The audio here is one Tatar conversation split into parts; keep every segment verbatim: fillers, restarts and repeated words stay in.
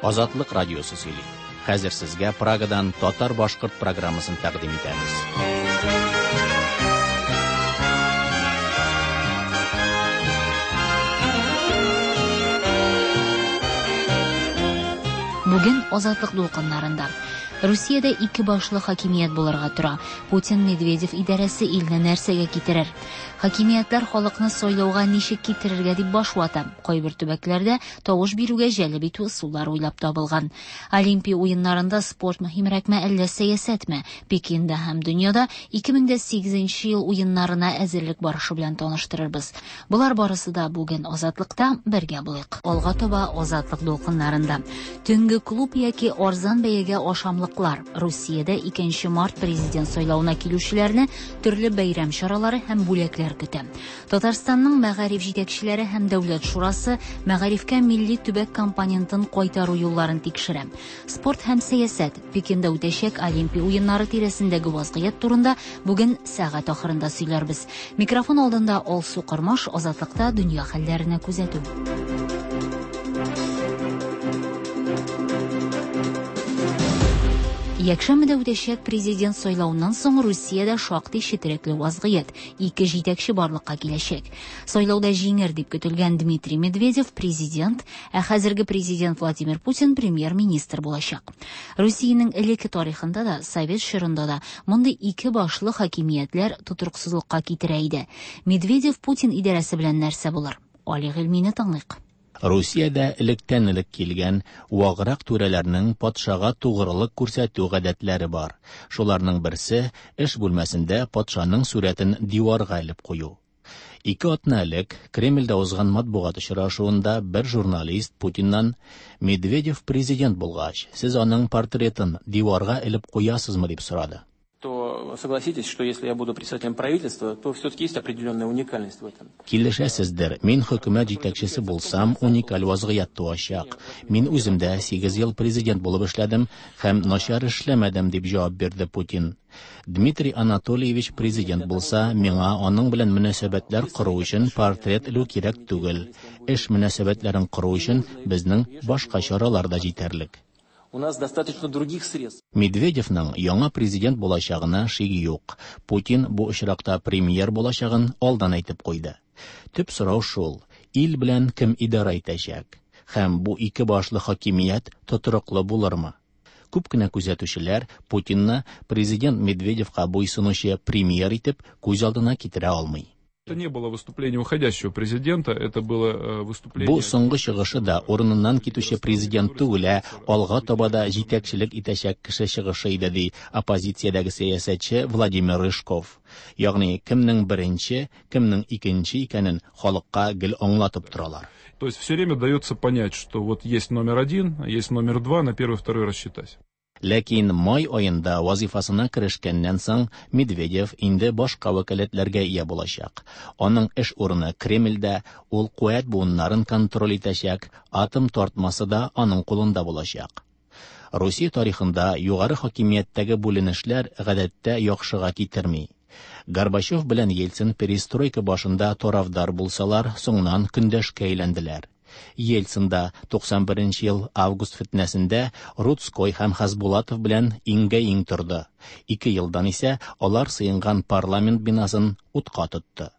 Азатлык радиосы сөйли. Хәзер сезгә Прагадан татар-башкорт программасын тәкъдим итәбез. Бүген Азатлык дулкыннарында Русиядә ике башлы хакимият булырга тора. Путин Медведев идарәсе илне нәрсәгә китерер? Хакимиятләр халыкны сайлауга ничек китерергә дип баш вата. Кайбер төбәкләрдә тавыш бирүгә җәлеп итү ысуллары уйлап табылган. Олимпия уеннарында спорт мөһимрәкме, әллә сәясәтме? Пекинда һәм дөньяда ике мең дә сигезенче ел уеннарына әзерлек барышы белән таныштырырбыз. Болар барысы да бүген Азатлыкта, бергә булыйк. Алга таба Азатлык дулкыннарында. Төнге клуб яки арзан бәягә ашамлыклар. Русиядә икенче март президент сайлауына килүчеләрне төрле бәйрәм чаралары һәм бүләкләр көтә. Татарстанның мәгариф җитәкчеләре һәм Дәүләт шурасы мәгарифкә милли төбәк компонентын кайтару юлларын тикшерә. Спорт һәм сәясәт. Пекинда үтәчәк Олимпия уеннары тирәсендәге вазгыять турында бүген сәгать ахырында сөйләрбез. Микрофон алдында Алсу Кормаш, Азатлыкта дөнья хәлләренә күзәтү. Якшәмбедә үтәчәк президент сайлауыннан соң Русиядә шактый четерекле вазгыять, ике җитәкче барлыкка киләчәк. Сайлауда җиңер дип көтелгән Дмитрий Медведев президент, ә хәзерге президент Владимир Путин премьер-министр булачак. Русиянең элекке тарихында да, совет чорында да мондый ике башлы хакимиятләр тотрыксызлыкка китерә иде. Медведев Путин идарәсе белән нәрсә булыр? Али Гыйльмине тыңлыйк. Русиядә электән элек килгән ваграк түрәләрнең патшага тугрылык күрсәтү гадәтләре бар. Шуларның берсе эш бүлмәсендә патшаның сурәтен диварга элеп кую. Ике атна элек Кремльдә узган матбугат очрашуында бер журналист Путиннан Медведев президент булгач, сез аның портретын диварга элеп куясызмы дип сорады. То согласитесь, что если я буду председателем правительства, то все-таки есть определенная уникальность в этом. Килешәсездер, мин хөкүмәт җитәкчесе булсам, уникаль вазгыять туачак. Мин үзем дә сигез ел президент булып эшләдем һәм начар эшләмәдем, дип җавап бирде Путин. Дмитрий Анатольевич президент булса, миңа аның белән мөнәсәбәтләр кору өчен портрет элү кирәк түгел. Эш мөнәсәбәтләрен кору өчен безнең башка чаралар да җитәрлек. У нас достаточно других средств. Медведевның яңа президент булачагына шик юк. Путин бу очракта премьер булачагын алдан әйтеп куйды. Төп сорау шул: ил белән кем идара итәчәк? Һәм бу ике башлы хакимият тотрыклы булырмы? Күп кенә күзәтүчеләр Путинны президент Медведевка буйсынучы премьер итеп күз алдына китерә алмый. Это не было выступление уходящего президента, это было, э, выступление... Бу соңгы чыгышы да урыныннан китүче президент түгел, ә алга таба да җитәкчелек итәчәк кеше чыгышы иде, ди оппозициядәге сәясәтче Владимир Рыжков. Ягъни кемнең беренче, кемнең икенче икәнен халыкка гел аңлатып торалар. То есть все время дается понять, что вот есть номер один, есть номер два, на первый, второй рассчитать. Ләкин май аенда вазифасына керешкәннән соң Медведев инде башка вәкаләтләргә ия булачак. Аның эш урыны Кремльдә, ул куәт буыннарын контроль итәчәк, атом тартмасы да аның кулында булачак. Русия тарихында югары хакимияттәге бүленешләр гадәттә яхшыга китерми. Горбачев белән Ельцин перестройка башында тарафдар булсалар, соңыннан көндәшкә әйләнделәр. Ельцин да туксан беренче ел август фитнәсендә Руцкой һәм Хасбулатов белән иңгә-иң торды. Ике елдан исә алар сыенган парламент бинасын утка тотты.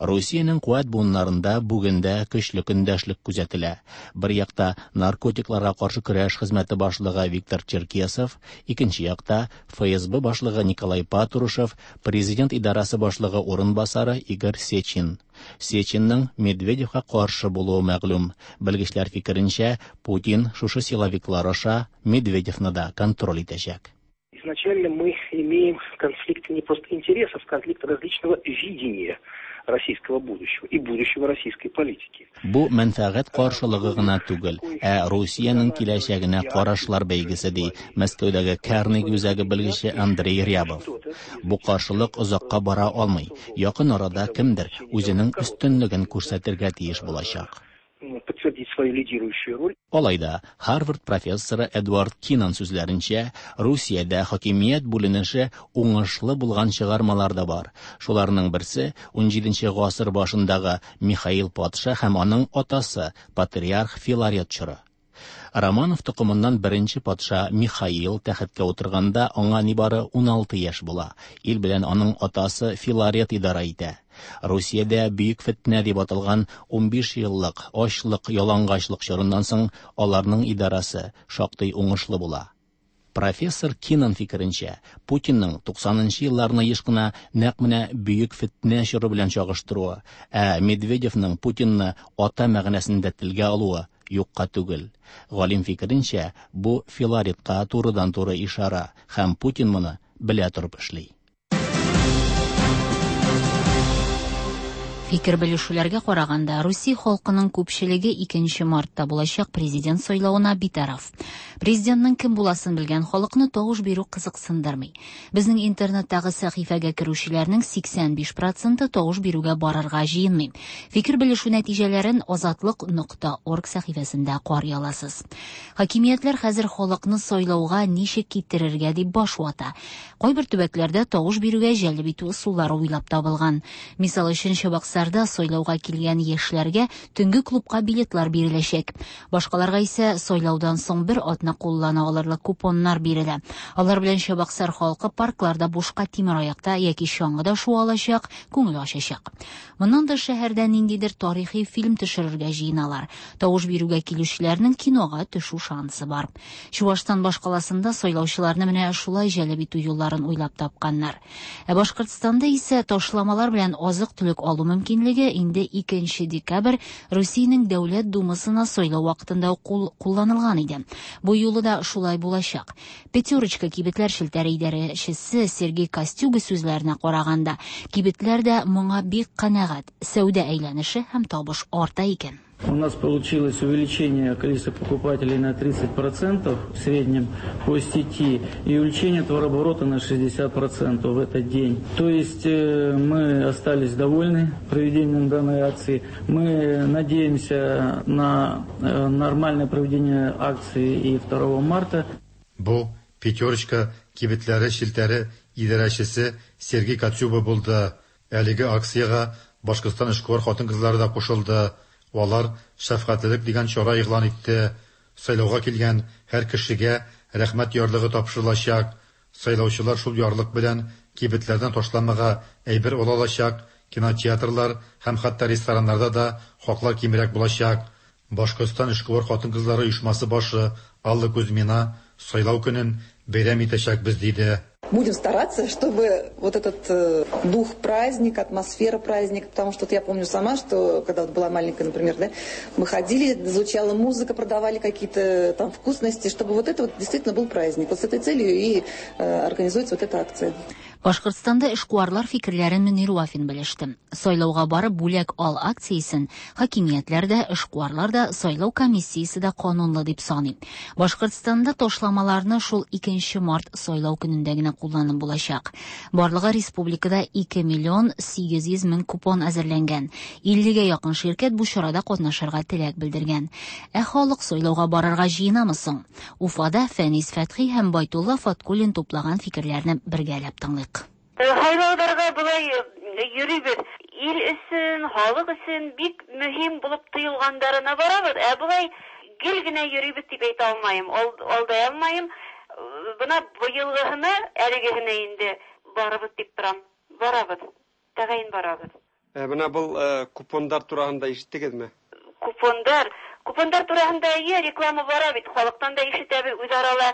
Русиянең куәт буыннарында бүген дә көчле көндәшлек күзәтелә. Бер якта наркотикларга каршы көрәш хезмәте башлыгы Виктор Черкесов, икенче якта Эф Эс Бэ башлыгы Николай Патрушев, президент идарасы башлыгы урынбасары Игорь Сечин. Сечинның Медведевка каршы булуы мәгълүм. Белгечләр фикеренчә, Путин шушы силовиклар аша Медведевны да контроль итәчәк. Изначально мы имеем конфликт не просто интересов, конфликт различного видения российского будущего и будущего российской политики. Бу мәнфәгать каршылыгы гына түгел, ә Русиянең киләчәгенә карашлар бәйгесе, ди Мәскәүдәге Карнеги үзәге белгече Андрей Рябов. Бу каршылык озакка бара алмый. Якын арада кемдер үзенең өстенлеген күрсәтергә тиеш булачак. Подтвердить свою лидирующую роль. Алай да, Harvard профессоры Эдвард Кинан сүзләренчә, Русиядә хакимият бүленеше уңышлы булган чыгармалар да бар. Шуларның берсе унҗиденче гасыр башындагы Михаил патша һәм аның атасы патриарх Филарет чоры. Романов токымыннан беренче патша Михаил тәхеткә утырганда аңа нибары уналты яшь була. Ил белән аның атасы Филарет идарә итә. Русиядә бөек фетнә дип аталган унбиш еллык ачлык, ялангачлык чорыннан соң аларның идарәсе шактый уңышлы була. Профессор Кинан фикеренчә, Путинның туксанынчы елларны еш кына нәкъ менә бөек фетнә чоры белән чагыштыруы, ә Медведевның Путинны ата мәгънәсендә телгә алуы юкка түгел. Галим фикеренчә, бу Филаретка турыдан-туры ишара һәм Путин моны белә торып эшли. Фикер белешүләргә караганда, Русия халкының күпчелеге икенче мартта булачак президент сайлавына битараф. Президентның кем буласын белгән халыкны тавыш бирү кызыксындырмый. Безнең интернеттагы сәхифәгә керүчеләрнең сиксән биш проценты тавыш бирүгә барырга җыенмый. Фикер белешү нәтиҗәләрен азатлык нокта орг сәхифәсендә карый аласыз. Хакимиятләр хәзер халыкны сайлауга ничек китерергә дип баш вата. Кайбер төбәкләрдә тавыш бирүгә җәлеп итү ысуллары уйлап табылган. Мисал өчен, Чабаксарда сайлауга килгән яшьләргә төнге клубка билетлар биреләчәк. Башкаларга исә сайлаудан соң бер атна куллана алырлык купоннар бирелә. Алар белән Чабаксар халкы паркларда бушка тимер аякта яки чаңгыда шуа алачак, күңел ачачак. Моннан тыш шәһәрдә ниндидер тарихи фильм төшерергә җыеналар. Тавыш бирүгә килүчеләрнең кинога төшү шансы бар. Чувашстан башкаласында сайлаучыларны менә шулай җәлеп итү юлларын уйлап тапканнар. Ә Башкортстанда исә ташламалар белән азык-төлек алу мөмкинлеге инде икенче декабрь Русиянең Дәүләт Думасына сайлау вакытында кулланылган иде. Бу юлы да шулай булачак. Пятерочка кибетләр челтәре идарәчесе Сергей Костюга сүзләренә караганда, кибетләр дә моңа бик канәгать. Сәүдә әйләнеше һәм табыш арта икән. У нас получилось увеличение количества покупателей на тридцать процентов в среднем по сети и увеличение товарооборота на шестьдесят процентов в этот день. То есть мы остались довольны проведением данной акции. Мы надеемся на нормальное проведение акции и второго марта. Бу Пятерочка кибетләре челтәре идарәчесе Сергей Кацюба булды. Әлеге акциягә Башкортстан эшкуар хатын-кызлары да кушылды. Алар шәфкатьлелек дигән чара игълан итте. Сайлауга килгән һәр кешегә рәхмәт ярлыгы тапшырылачак. Сайлаучылар шул ярлык белән кибетләрдән ташламага әйбер ала алачак, кинотеатрлар һәм хәтта рестораннарда да хаклар кимрәк булачак. Башкортстан эшкуар хатын-кызлары оешмасы башы Алла Кузьмина сайлау көнен бәйрәм итәчәкбез диде. Будем стараться, чтобы вот этот э, дух праздника, атмосфера праздника, потому что вот я помню сама, что когда вот была маленькая, например, да, мы ходили, звучала музыка, продавали какие-то там вкусности, чтобы вот это вот действительно был праздник. Вот с этой целью и э, организуется вот эта акция. Башкортстанда эшкуарлар фикерләрен Мөнир Вафин белеште. Сайлауга барып бүләк ал акциясен хакимиятләр дә, эшкуарлар да, сайлау комиссиясе дә канунлы дип саный. Башкортстанда ташламаларны шул икенче март сайлау көнендә генә кулланып булачак. Барлыгы республикада ике миллион сигез йөз мең купон әзерләнгән. иллегә якын ширкәт бу чарада катнашырга теләк белдергән. Ә халык сайлауга барырга җыенамы соң? Уфада Фәнис Фәтхи һәм Байтулла Фаткуллин туплаган фикерләрне бергәләп тыңлыйк. Һайлауларга болай йөрибез. Ил өчен, халык өчен бик мөһим булып тоелгандарына барабыз. Ә болай гел генә йөрибез дип әйтә алмыйм, алдай алмыйм. Бына быелгыһына, әлегеһенә инде барабыз дип торам. Барабыз. Тәгаен барабыз. Ә бына был купондар тураһында ишеттегеҙме? Купондар, купондар тураһында әйе, реклама бара бит, халыктан да ишетәбез, үзара ла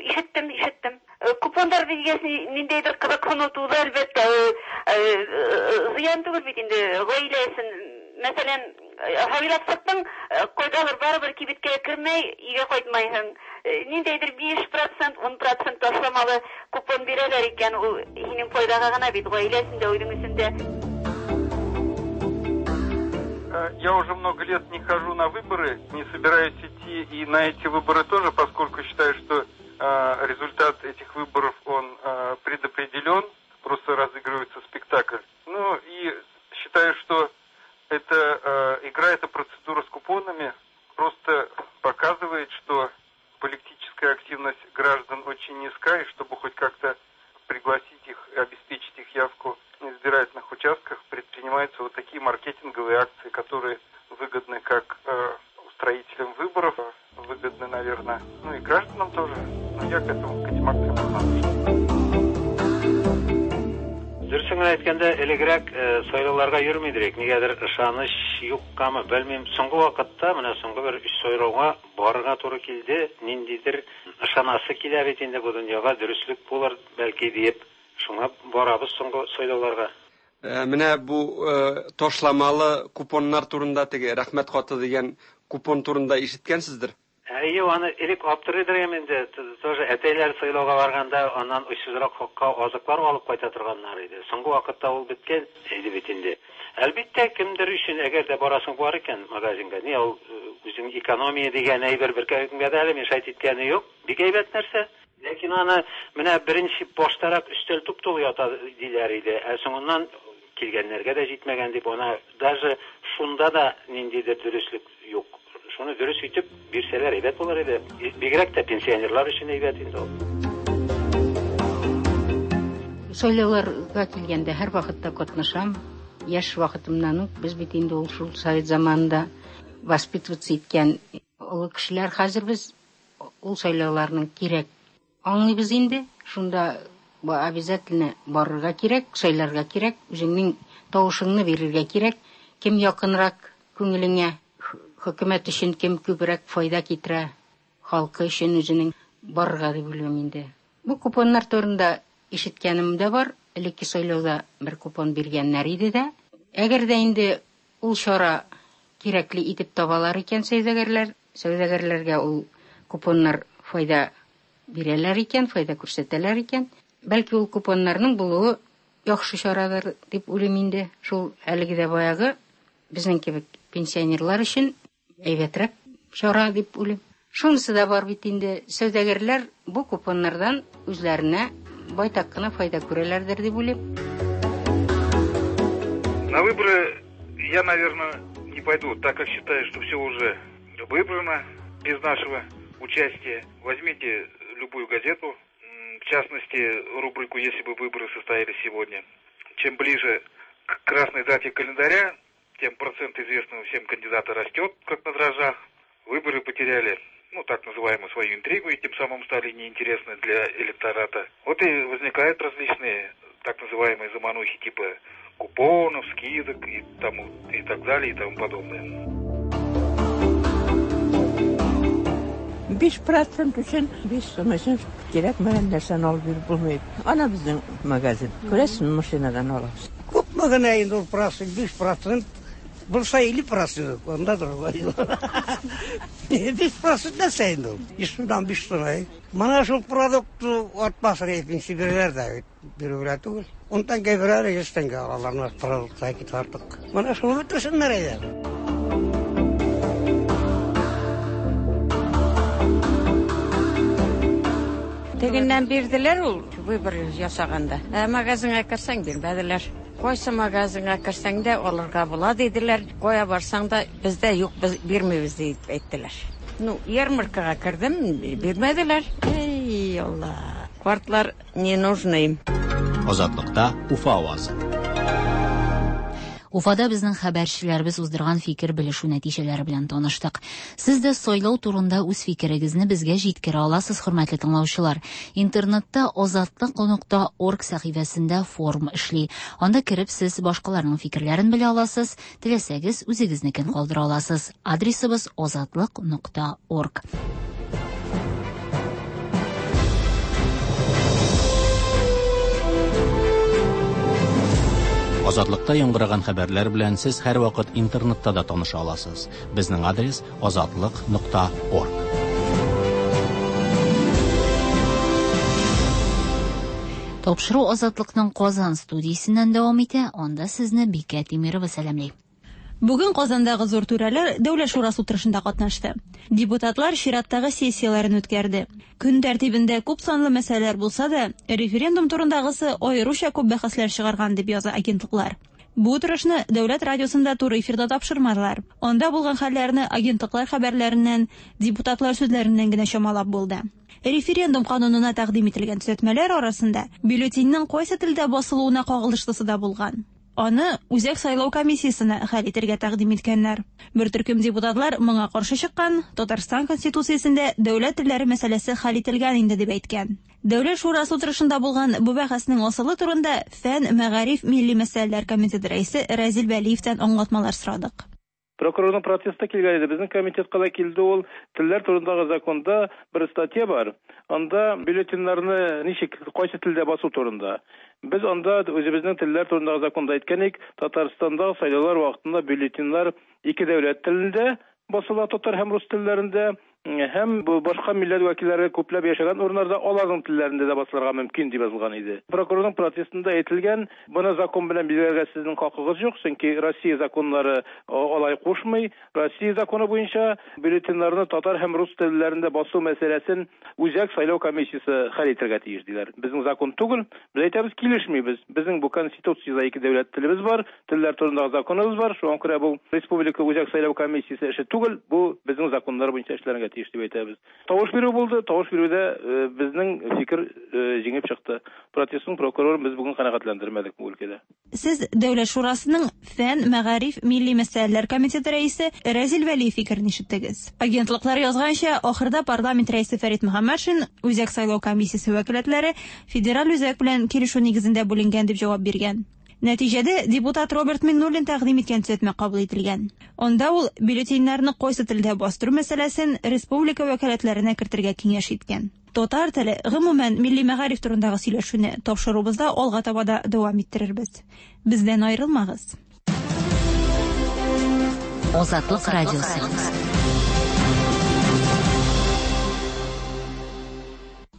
ишеттем, ишеттем. Купондар биргәс ниндәйдер кызыксыну туды, әлбәттә, зыян түгел бит инде гаилә өчен. Мәсәлән, һайлап саттың, кайдалыр барыбер кибеткә кермәй, өйгә кайтмайһың. Ниндәйдер биш процент, ун процент ташламалы купон бирәләр икән, ул һинең файдага гына бит, гаилә өчен дә, үзең өчен дә. Я уже много лет не хожу на выборы, не собираюсь идти и на эти выборы тоже, поскольку считаю, что э, результат этих выборов, он э, предопределен, просто разыгрывается спектакль. Ну и считаю, что эта э, игра, эта процедура с купонами просто показывает, что политическая активность граждан очень низка, и чтобы хоть как-то пригласить их и обеспечить их явку на избирательных участках, предпринимаются вот такие маркетинговые акции, которые выгодны как э, устроителям выборов, выгодны, наверное, ну и гражданам тоже. Но я к этому, к этим акциям равнодушен. Дөресен генә әйткәндә, элегрәк сайлауларга йөрми идек. Нигәдер ышаныч юккамы, белмим. Соңгы вакытта, менә соңгы бер өч сайлауга барырга туры килде. Ниндидер ышанасы килә бит инде бу дөньяга, дөреслек булыр бәлки диеп, шуңа барабыз соңгы сайлауларга. Менә бу ташламалы купоннар турында, теге рәхмәт хаты дигән купон турында ишеткәнсездер? Әйе, аны элек аптырыйдыр инде. Тоже әтәйләр сайлауга барганда аннан очсызрак хакка азыклар алып кайта торганнар иде. Соңгы вакытта ул беткән иде бит инде. Әлбәттә, кемдер өчен, әгәр дә барасың бар икән магазинга, ни ул үзең экономия дигән әйбер беркемгә дә әле мешать иткәне юк. Бик әйбәт нәрсә. Ләкин аны менә беренче баштарак өстәл туп-тулы ята диләр иде. Ә соңыннан килгәннәргә дә җитмәгән дип, ана даже шунда да ниндидер дөреслек юк. Шуны дөрес итеп бирсәләр әйбәт булыр иде. Бигрәк тә пенсионерлар өчен әйбәт инде ул. Сайлауларга килгәндә һәр вакытта катнашам. Яшь вакытымнан ук без бит инде ул шул совет заманында воспитываться иткән олы кешеләр. Хәзер без ул сайлауларның кирәк аңлыйбыз инде. Шунда обязательно барырга кирәк, сайларга кирәк, үзеңнең тавышыңны бирергә кирәк. Кем якынрак күңелеңә, хөкүмәт өчен кем күбрәк файда китерә, халкы өчен үзенең барырга дип уйлыйм инде. Бу купоннар турында ишеткәнем дә бар. Элекке сайлауда бер купон биргәннәр иде дә. Әгәр дә инде ул чара кирәкле итеп табалар икән сәүдәгәрләр, сәүдәгәрләргә ул купоннар файда бирәләр икән, файда күрсәтәләр икән, бәлки ул купоннарның булуы яхшы чарадыр дип уйлыйм инде. Шул әлеге дә баягы безнең кебек пенсионерлар өчен әйбәтрәк чара дип уйлыйм. Шунысы да бар бит инде, сәүдәгәрләр бу купоннардан үзләренә байтак кына файда күрәләрдер дип уйлыйм. На выборы я, наверное, не пойду, так как считаю, что все уже выбрано без нашего участия. Возьмите любую газету, в частности, рубрику «Если бы выборы состоялись сегодня». Чем ближе к красной дате календаря, тем процент известного всем кандидата растет, как на дрожжах. Выборы потеряли, ну, так называемую свою интригу, и тем самым стали неинтересны для электората. Вот и возникают различные так называемые заманухи типа купонов, скидок и, тому, и так далее, и тому подобное. Биш процент өчен, биш сум өчен кирәкмәгән нәрсәне алып биреп булмый. Ана безнең магазин. Күрәсезме, машинадан алабыз. Күпме генә инде ул процент, биш процент булса илле процент, анда другой. Биш процент нәрсә инде ул? Йөз сумнан биш сум. Менә шул продукт артмасын икенче бирәләр дә, бирүгә түгел. Ун тәңкә бирәләр, йөз тәңкә алалар, продуктка китә артык. Менә шуны бетерсеннәр әйдә. Тегеннән бирделәр ул выбор ясаганда. Ә магазинга керсәң бирмәделәр. Кайсы магазинга керсәң дә алырга була диделәр. Кая барсаң да бездә юк, без бирмибез дип әйттеләр. Ну, ярмаркага кердем, бирмәделәр. Эй, Алла. Картлар не нужны им. Азатлыкта Уфа авазы. Уфада безнең хәбәрчеләребез уздырган фикер белешү нәтиҗәләре белән таныштык. Сез дә сайлау турында үз фикерегезне безгә җиткерә аласыз, хөрмәтле тыңлаучылар. Интернетта азатлык нокта орг сәхифәсендә форум эшли. Анда кереп сез башкаларның фикерләрен белә аласыз, теләсәгез үзегезнекен калдыра аласыз. Адресыбыз азатлык нокта орг. Азатлыкта яңгыраган хәбәрләр белән сез һәр вакыт интернетта да таныша аласыз. Безнең адрес азатлык нокта орг. Тапшыру Азатлыкның Казан студиясеннән дәвам итә. Анда сезне Бикә Тимирова сәламли. Бүген Казандагы зур түрәләр Дәүләт шурасы утырышында катнашты. Депутатлар чираттагы сессияләрен үткәрде. Көн тәртибендә күп санлы мәсьәләләр булса да, референдум турындагысы аеруча күп бәхәсләр чыгарган дип яза агентлыклар. Бу утырышны Дәүләт радиосында туры эфирда тапшырмадылар. Анда булган хәлләрне агентлыклар хәбәрләреннән, депутатлар сүзләреннән генә чамалап булды. Референдум канунына тәкъдим ителгән төзәтмәләр арасында бюллетеньнең кайсы телдә басылуына кагылышлысы да булган. Аны Үзәк сайлау комиссиясенә хәл итәргә тәкъдим иткәннәр. Бер төркем депутатлар моңа каршы чыккан, Татарстан Конституциясендә дәүләт телләре мәсьәләсе хәл ителгән инде дип әйткән. Дәүләт шурасы утырышында булган бу бәхәснең асылы турында Фән, мәгариф, милли мәсьәләләр комитеты рәисе Разил Вәлиевтән аңлатмалар сорадык. Прокурорның протесты килгән иде. Безнең комитетка да килде ул. Телләр турындагы законда бер статья бар. Анда бюллетеньнәрне ничек, кайсы телдә басу турында. Без анда үзебезнең телләр турындагы законда әйткән идек, Татарстанда сайлаулар вакытында бюллетеньнәр ике дәүләт телендә басыла, татар һәм рус телләрендә, һәм бу башка милләт вәкилләре күпләп яшәгән урыннарда аларның телләрендә дә басылырга мөмкин дип язылган иде. Прокурорның протестында әйтелгән, моны закон белән билгеләргә сезнең хакыгыз юк, чөнки Россия законнары алай кушмый. Россия законы буенча бюллетеньнәрне татар һәм рус телләрендә басу мәсьәләсен Үзәк сайлау комиссиясе хәл итәргә тиеш диләр. Безнең закон түгел, без әйтәбез, килешмибез. Безнең бу конституциядә ике дәүләт телебез бар, телләр турындагы законыбыз бар. Шуңа күрә бу Республика Үзәк сайлау комиссиясе эше түгел, бу безнең законнар буенча эшләргә тиеш дип әйтәбез. Тавыш бирү булды, тавыш бирүдә безнең фикер җиңеп чыкты. Протестның прокурорын без бүген канәгатьләндермәдек бу өлкәдә. Сез Дәүләт шурасының Фән, мәгариф, милли мәсьәләләр комитеты рәисе Разил Вәлиев фикерен ишеттегез. Агентлыклар язганча, ахырда парламент рәисе Фәрит Мөхәммәтшин Үзәк сайлау комиссиясе вәкаләтләре федераль үзәк белән килешү нигезендә бүленгән дип җавап биргән. Нәтиҗәдә депутат Роберт Миңнуллин тәкъдим иткән төзәтмә кабул ителгән. Анда ул бюллетеньнәрне кайсы телдә бастыру мәсьәләсен республика вәкаләтләренә кертергә киңәш иткән. Татар теле, гомумән, милли мәгариф турындагы сөйләшүне тапшыруыбызда алга таба да дәвам иттерербез. Бездән аерылмагыз. Азатлык радиосы.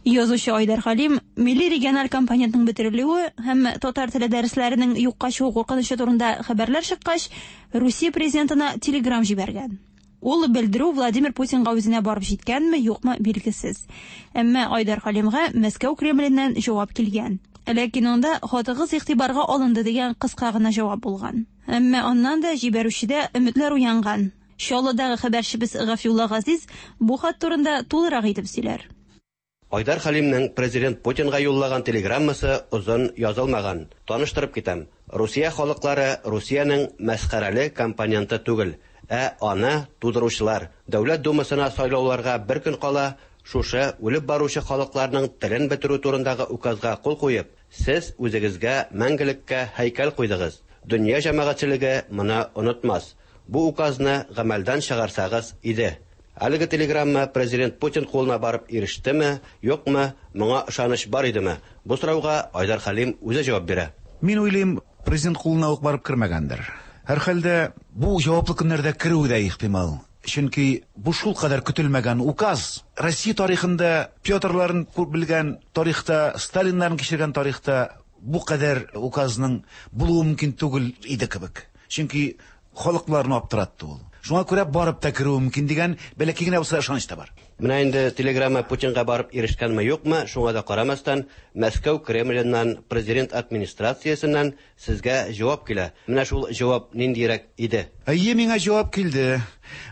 Язучы Айдар Хәлим милли региональ компонентның бетерелүе һәм татар теле дәресләренең юкка чыгу куркынычы турында хәбәрләр чыккач, Русия президентына телеграм җибәргән. Ул белдерү Владимир Путинга үзенә барып җиткәнме, юкмы билгесез. Әмма Айдар Хәлимгә Мәскәү Кремленнән җавап килгән. Ләкин анда хатыгыз игътибарга алынды дигән кыска гына җавап булган. Әмма аннан да җибәрүчедә өметләр уянган. Чаллыдагы хәбәрчебез Гафиулла Газиз бу хат турында тулырак итеп сөйләр. Айдар Хәлимнең президент Путинга юллаган телеграммасы озын язылмаган. Таныштырып китәм. Русия халыклары Русиянең мәсхәрәле компоненты түгел, ә аны тудыручылар. Дәүләт думасына сайлауларга бер көн кала, шушы үлеп баручы халыкларның телен бетерү турындагы указга кул куеп, сез үзегезгә мәңгелеккә һәйкәл куйдыгыз. Дөнья җәмәгатьчелеге моны онытмас. Бу указны гамәлдән чыгарсагыз иде. Әлеге телеграмма президент Путин кулына барып ирештеме, юкмы, моңа ышаныч бар идеме? Бу сорауга Айдар Хәлим үзе җавап бирә. Мин уйлыйм, президент кулына ук барып кермәгәндер. Һәрхәлдә бу җаваплы көннәрдә керүе дә ихтимал. Чөнки бу шул кадәр көтелмәгән указ. Россия тарихында Петрларын күп белгән тарихта, Сталиннарын кичергән тарихта бу кадәр указның булуы мөмкин түгел иде кебек. Чөнки халыкларны аптыратты ул. Шуңа күрә барып та керүе мөмкин дигән бәләкәй генә булса ышаныч та бар. Менә инде телеграмма Путинга барып ирешкәнме юкмы, шуңа да карамастан, Мәскәү Кремленнән, президент администрациясеннән сезгә җавап килә. Менә шул җавап ниндирәк иде? Әйе, миңа җавап килде.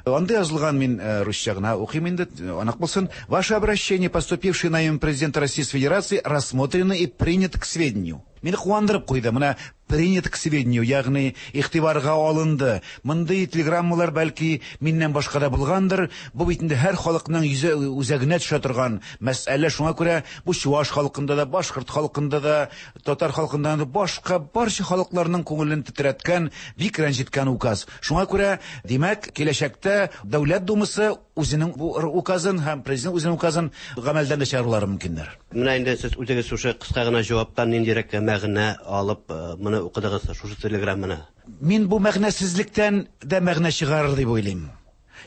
Анда язылган, мин русча гына укыйм инде, анык булсын. Ваше обращение, поступившее на имя президента Российской Федерации, рассмотрено и принято к сведению. Мине куандырып куйды. Менә принято к сведению, ягъни игътибарга алынды. Мондый телеграммалар бәлки миннән башка да булгандыр. Бу бит инде һәр халыкның йөзе үзәгенә төшә торган мәсьәлә. Шуңа күрә бу чуваш халкында да, башкорт халкында да, татар халкында да, башка барча халыкларның күңелен тетрәткән, бик рәнҗеткән указ. Шуңа күрә, димәк, киләчәктә Дәүләт Думасы үзенең бу указын һәм президент үзенең указын гамәлдән дә чыгарулары мөмкиндер. Менә инде сез үзегез шушы кыска гына җаваптан ниндирәк мәгънә алып моны укыдыгыз, шушы телеграмманы? Мин бу мәгънәсезлектән дә мәгънә чыгарыр дип уйлыйм.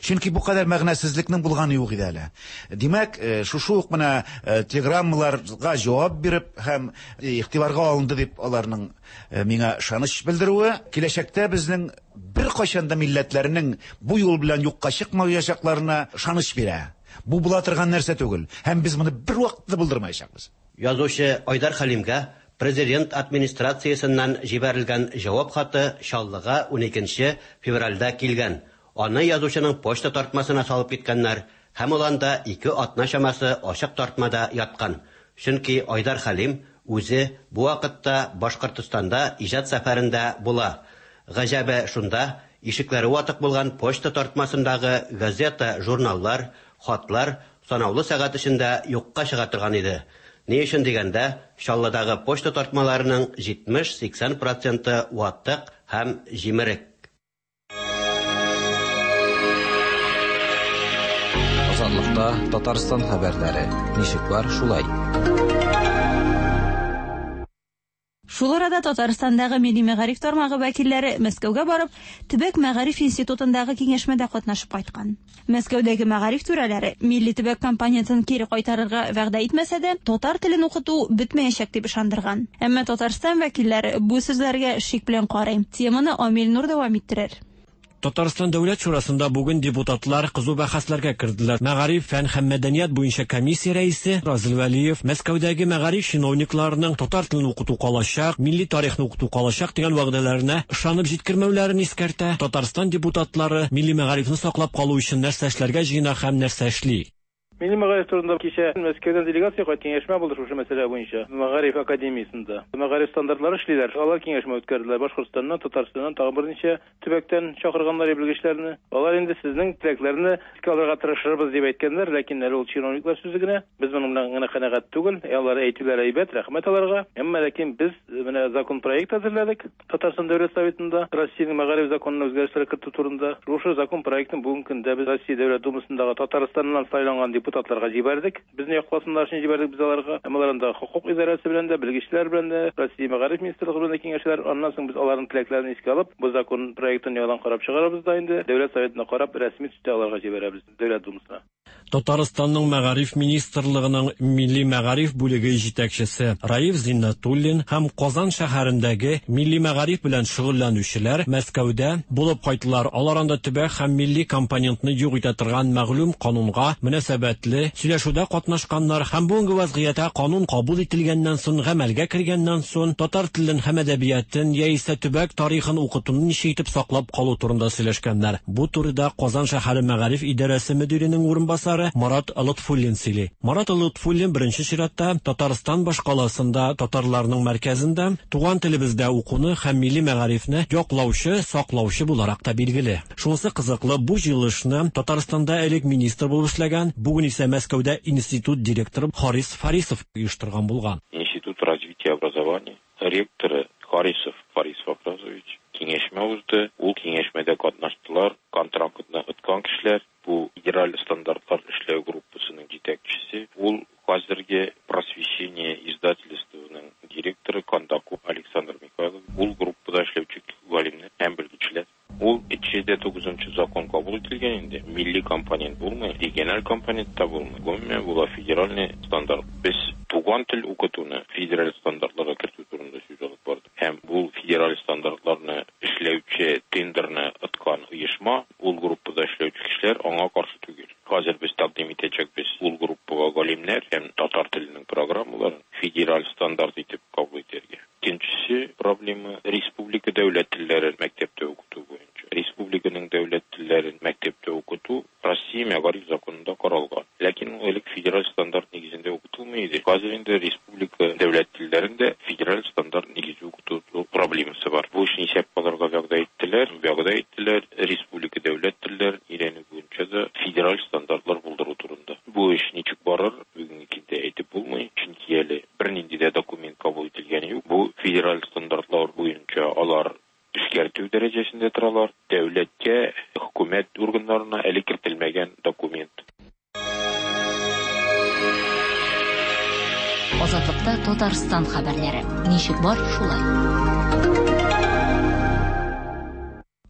Чөнки бу кадәр мәгънәсезлекнең булганы юк иде әле. Димәк, шушы ук менә телеграммаларга җавап биреп һәм игътибарга алынды дип аларның миңа ышаныч белдерүе, киләчәктә безнең беркайчан да милләтләрнең бу юл белән юкка чыкмаячакларына ышаныч бирә. Бу була торган нәрсә түгел, һәм без моны бервакытта булдырмаячакбыз. Язучы Айдар Хәлимгә президент администрациясеннән җибәрелгән җавап хаты Чаллыга уникенче февральдә килгән. Аны язучының почта тартмасына салып киткәннәр һәм ул анда ике атна чамасы ачык тартмада яткан. Чөнки Айдар Хәлим Үзе бу вакытта Башкортостанда иҗат сәфәрендә була. Гаҗәбе шунда, ишекләре ватык булган почта тартмасындагы газета, журналлар, хатлар санаулы сәгать эчендә юкка чыга торган иде. Ни өчен дигәндә, Чаллыдагы почта тартмаларының җитмеш-сиксән проценты ватык һәм җимерек. Азатлыкта Татарстан хәбәрләре. Ничек бар, шулай. Шул арада Татарстандагы милли мәгариф тармагы вәкилләре Мәскәүгә барып, Төбәк мәгариф институтындагы киңәшмәдә катнашып кайткан. Мәскәүдәге мәгариф түрәләре милли төбәк компонентын кире кайтарырга вәгъдә итмәсә дә, татар телен укыту бетмәячәк дип ышандырган. Әмма Татарстан вәкилләре бу сүзләргә шик белән карый. Теманы Амил Нур дәвам иттерер. Татарстан Дәүләт Шурасында бүген депутатлар кызу бәхәсләргә керделәр. Мәгариф, фән һәм мәдәният буенча комиссия рәисе Разил Вәлиев Мәскәүдәге мәгариф чиновникларының татар телен укыту калачак, милли тарихны укыту калачак дигән вәгъдәләренә ышанып җиткермәүләрен искәртә. Татарстан депутатлары милли мәгарифне саклап калу өчен нәрсә эшләргә җыена һәм нәрсә эшли. Милли мәгариф турында кичә Мәскәүдән делегация кайт киңәшмә булды шушы мәсьәлә буенча. Мәгариф академиясендә. Мәгариф стандартлары эшлиләр. Алар киңәшмә үткәрделәр. Башкортстаннан, Татарстаннан тагын берничә төбәктән чакырганнар белгечләрне. Алар инде сезнең теләкләрне искә алырга тырышырбыз дип әйткәннәр, ләкин әле ул чиновниклар сүзе генә. Без моның белән генә канәгать түгел. Алар әйтүләр әйбәт, рәхмәт аларга. Әмма ләкин без менә закон проект әзерләдек. Татарстан Дәүләт Советында Россиянең мәгариф законына үзгәрешләр кертү турында. Шушы закон проектын бүгенге көндә без Россия Дәүләт Думасындагы Татарстаннан сайланган депутатларга җибәрдек. Безне якласыннар өчен җибәрдек без аларга. Әмма алар анда хукук идарәсе белән дә, белгечләр белән дә, Россия мәгариф министрлыгы белән дә киңәшәләр. Аннан соң без аларның теләкләрен искә алып, бу закон проектын яңадан карап чыгарабыз да инде Дәүләт Советына карап рәсми төстә аларга җибәрәбез Дәүләт Думасына. Татарстанның мәгариф министрлыгының милли мәгариф бүлеге җитәкчесе Раиф Зиннатуллин һәм Казан шәһәрендәге милли мәгариф белән шөгыльләнүчеләр Мәскәүдә булып кайттылар. Алар анда төбәк һәм милли компонентны юк итә торган мәгълүм канунга мөнәсәбәтле сөйләшүдә катнашканнар һәм бүгенге вазгыятьтә канун кабул ителгәннән соң, гамәлгә кергәннән соң татар телен һәм әдәбиятын яисә төбәк тарихын укытуны ничек итеп саклап калу турында сөйләшкәннәр. Бу турыда Казан шәһәре мәгариф идарәсе мөдиренең урынбасары Марат Лотфуллин сөйли. Марат Лотфуллин беренче чиратта Татарстан башкаласында татарларның мәркәзендә туган телебездә укуны һәм милли мәгарифне яклаучы, саклаучы буларак та билгеле. Шунысы кызыклы, бу җыелышны Татарстанда элек министр булып эшләгән, бүген исә Мәскәүдә институт директоры Харис Фарисов оештырган булган. Институт развития образования ректоры Харисов Фарис Фабразович киңәшмә узды. Ул киңәшмәдә катнаштылар контрактны откан кешеләр. Бу федераль стандартлар эшләү группасының җитәкчесе, ул хәзерге Просвещение издательствоның директоры Кондаков Александр Михайлов, ул группада эшләүче галимнәр һәм белгечләр. Ул икейөз тугызынчы закон кабул ителгән инде. Милли компонент булмый, региональ компонент та булмый. Гомумән, була федеральный стандарт. Без туган тел укытуны федераль стандартларга кертү турында сүз алып бардык. Һәм бу федераль стандартларны эшләүче тендерны откан оешма, ул группада эшләүче кешеләр аңа каршы түгел. Хәзер без тәкъдим итәчәкбез ул группага галимнәр һәм татар теленең программаларын федераль стандарт итеп кабул итәргә. Икенчесе проблема республика дәүләт телләрен мәктәптә укыту буенча. Республиканың дәүләт телләрен мәктәптә укыту Россия мәгариф законында каралган. Ләкин ул элек федераль стандарт нигезендә укытылмый иде. Хәзер инде республика дәүләт телләрендә федераль стандарт нигезе укыту проблемасы бар. Бу эшне исәп алырга вәгъдә иттеләр, вәгъдә иттеләр республика дәүләт телләрен өйрәнү буенча да федераль стандартлар булдыру турында. Бу эш ничек барыр, бүгенге көндә әйтеп булмый, чөнки әле бернинди дә документ кабул ителгәне юк. Бу федераль стандартлар буенча алар эшкәртү дәрәҗәсендә торалар. Дәүләткә, хөкүмәт органнарына әле кертелмәгән документ. Азатлыкта Татарстан хәбәрләре. Ничек бар, шулай.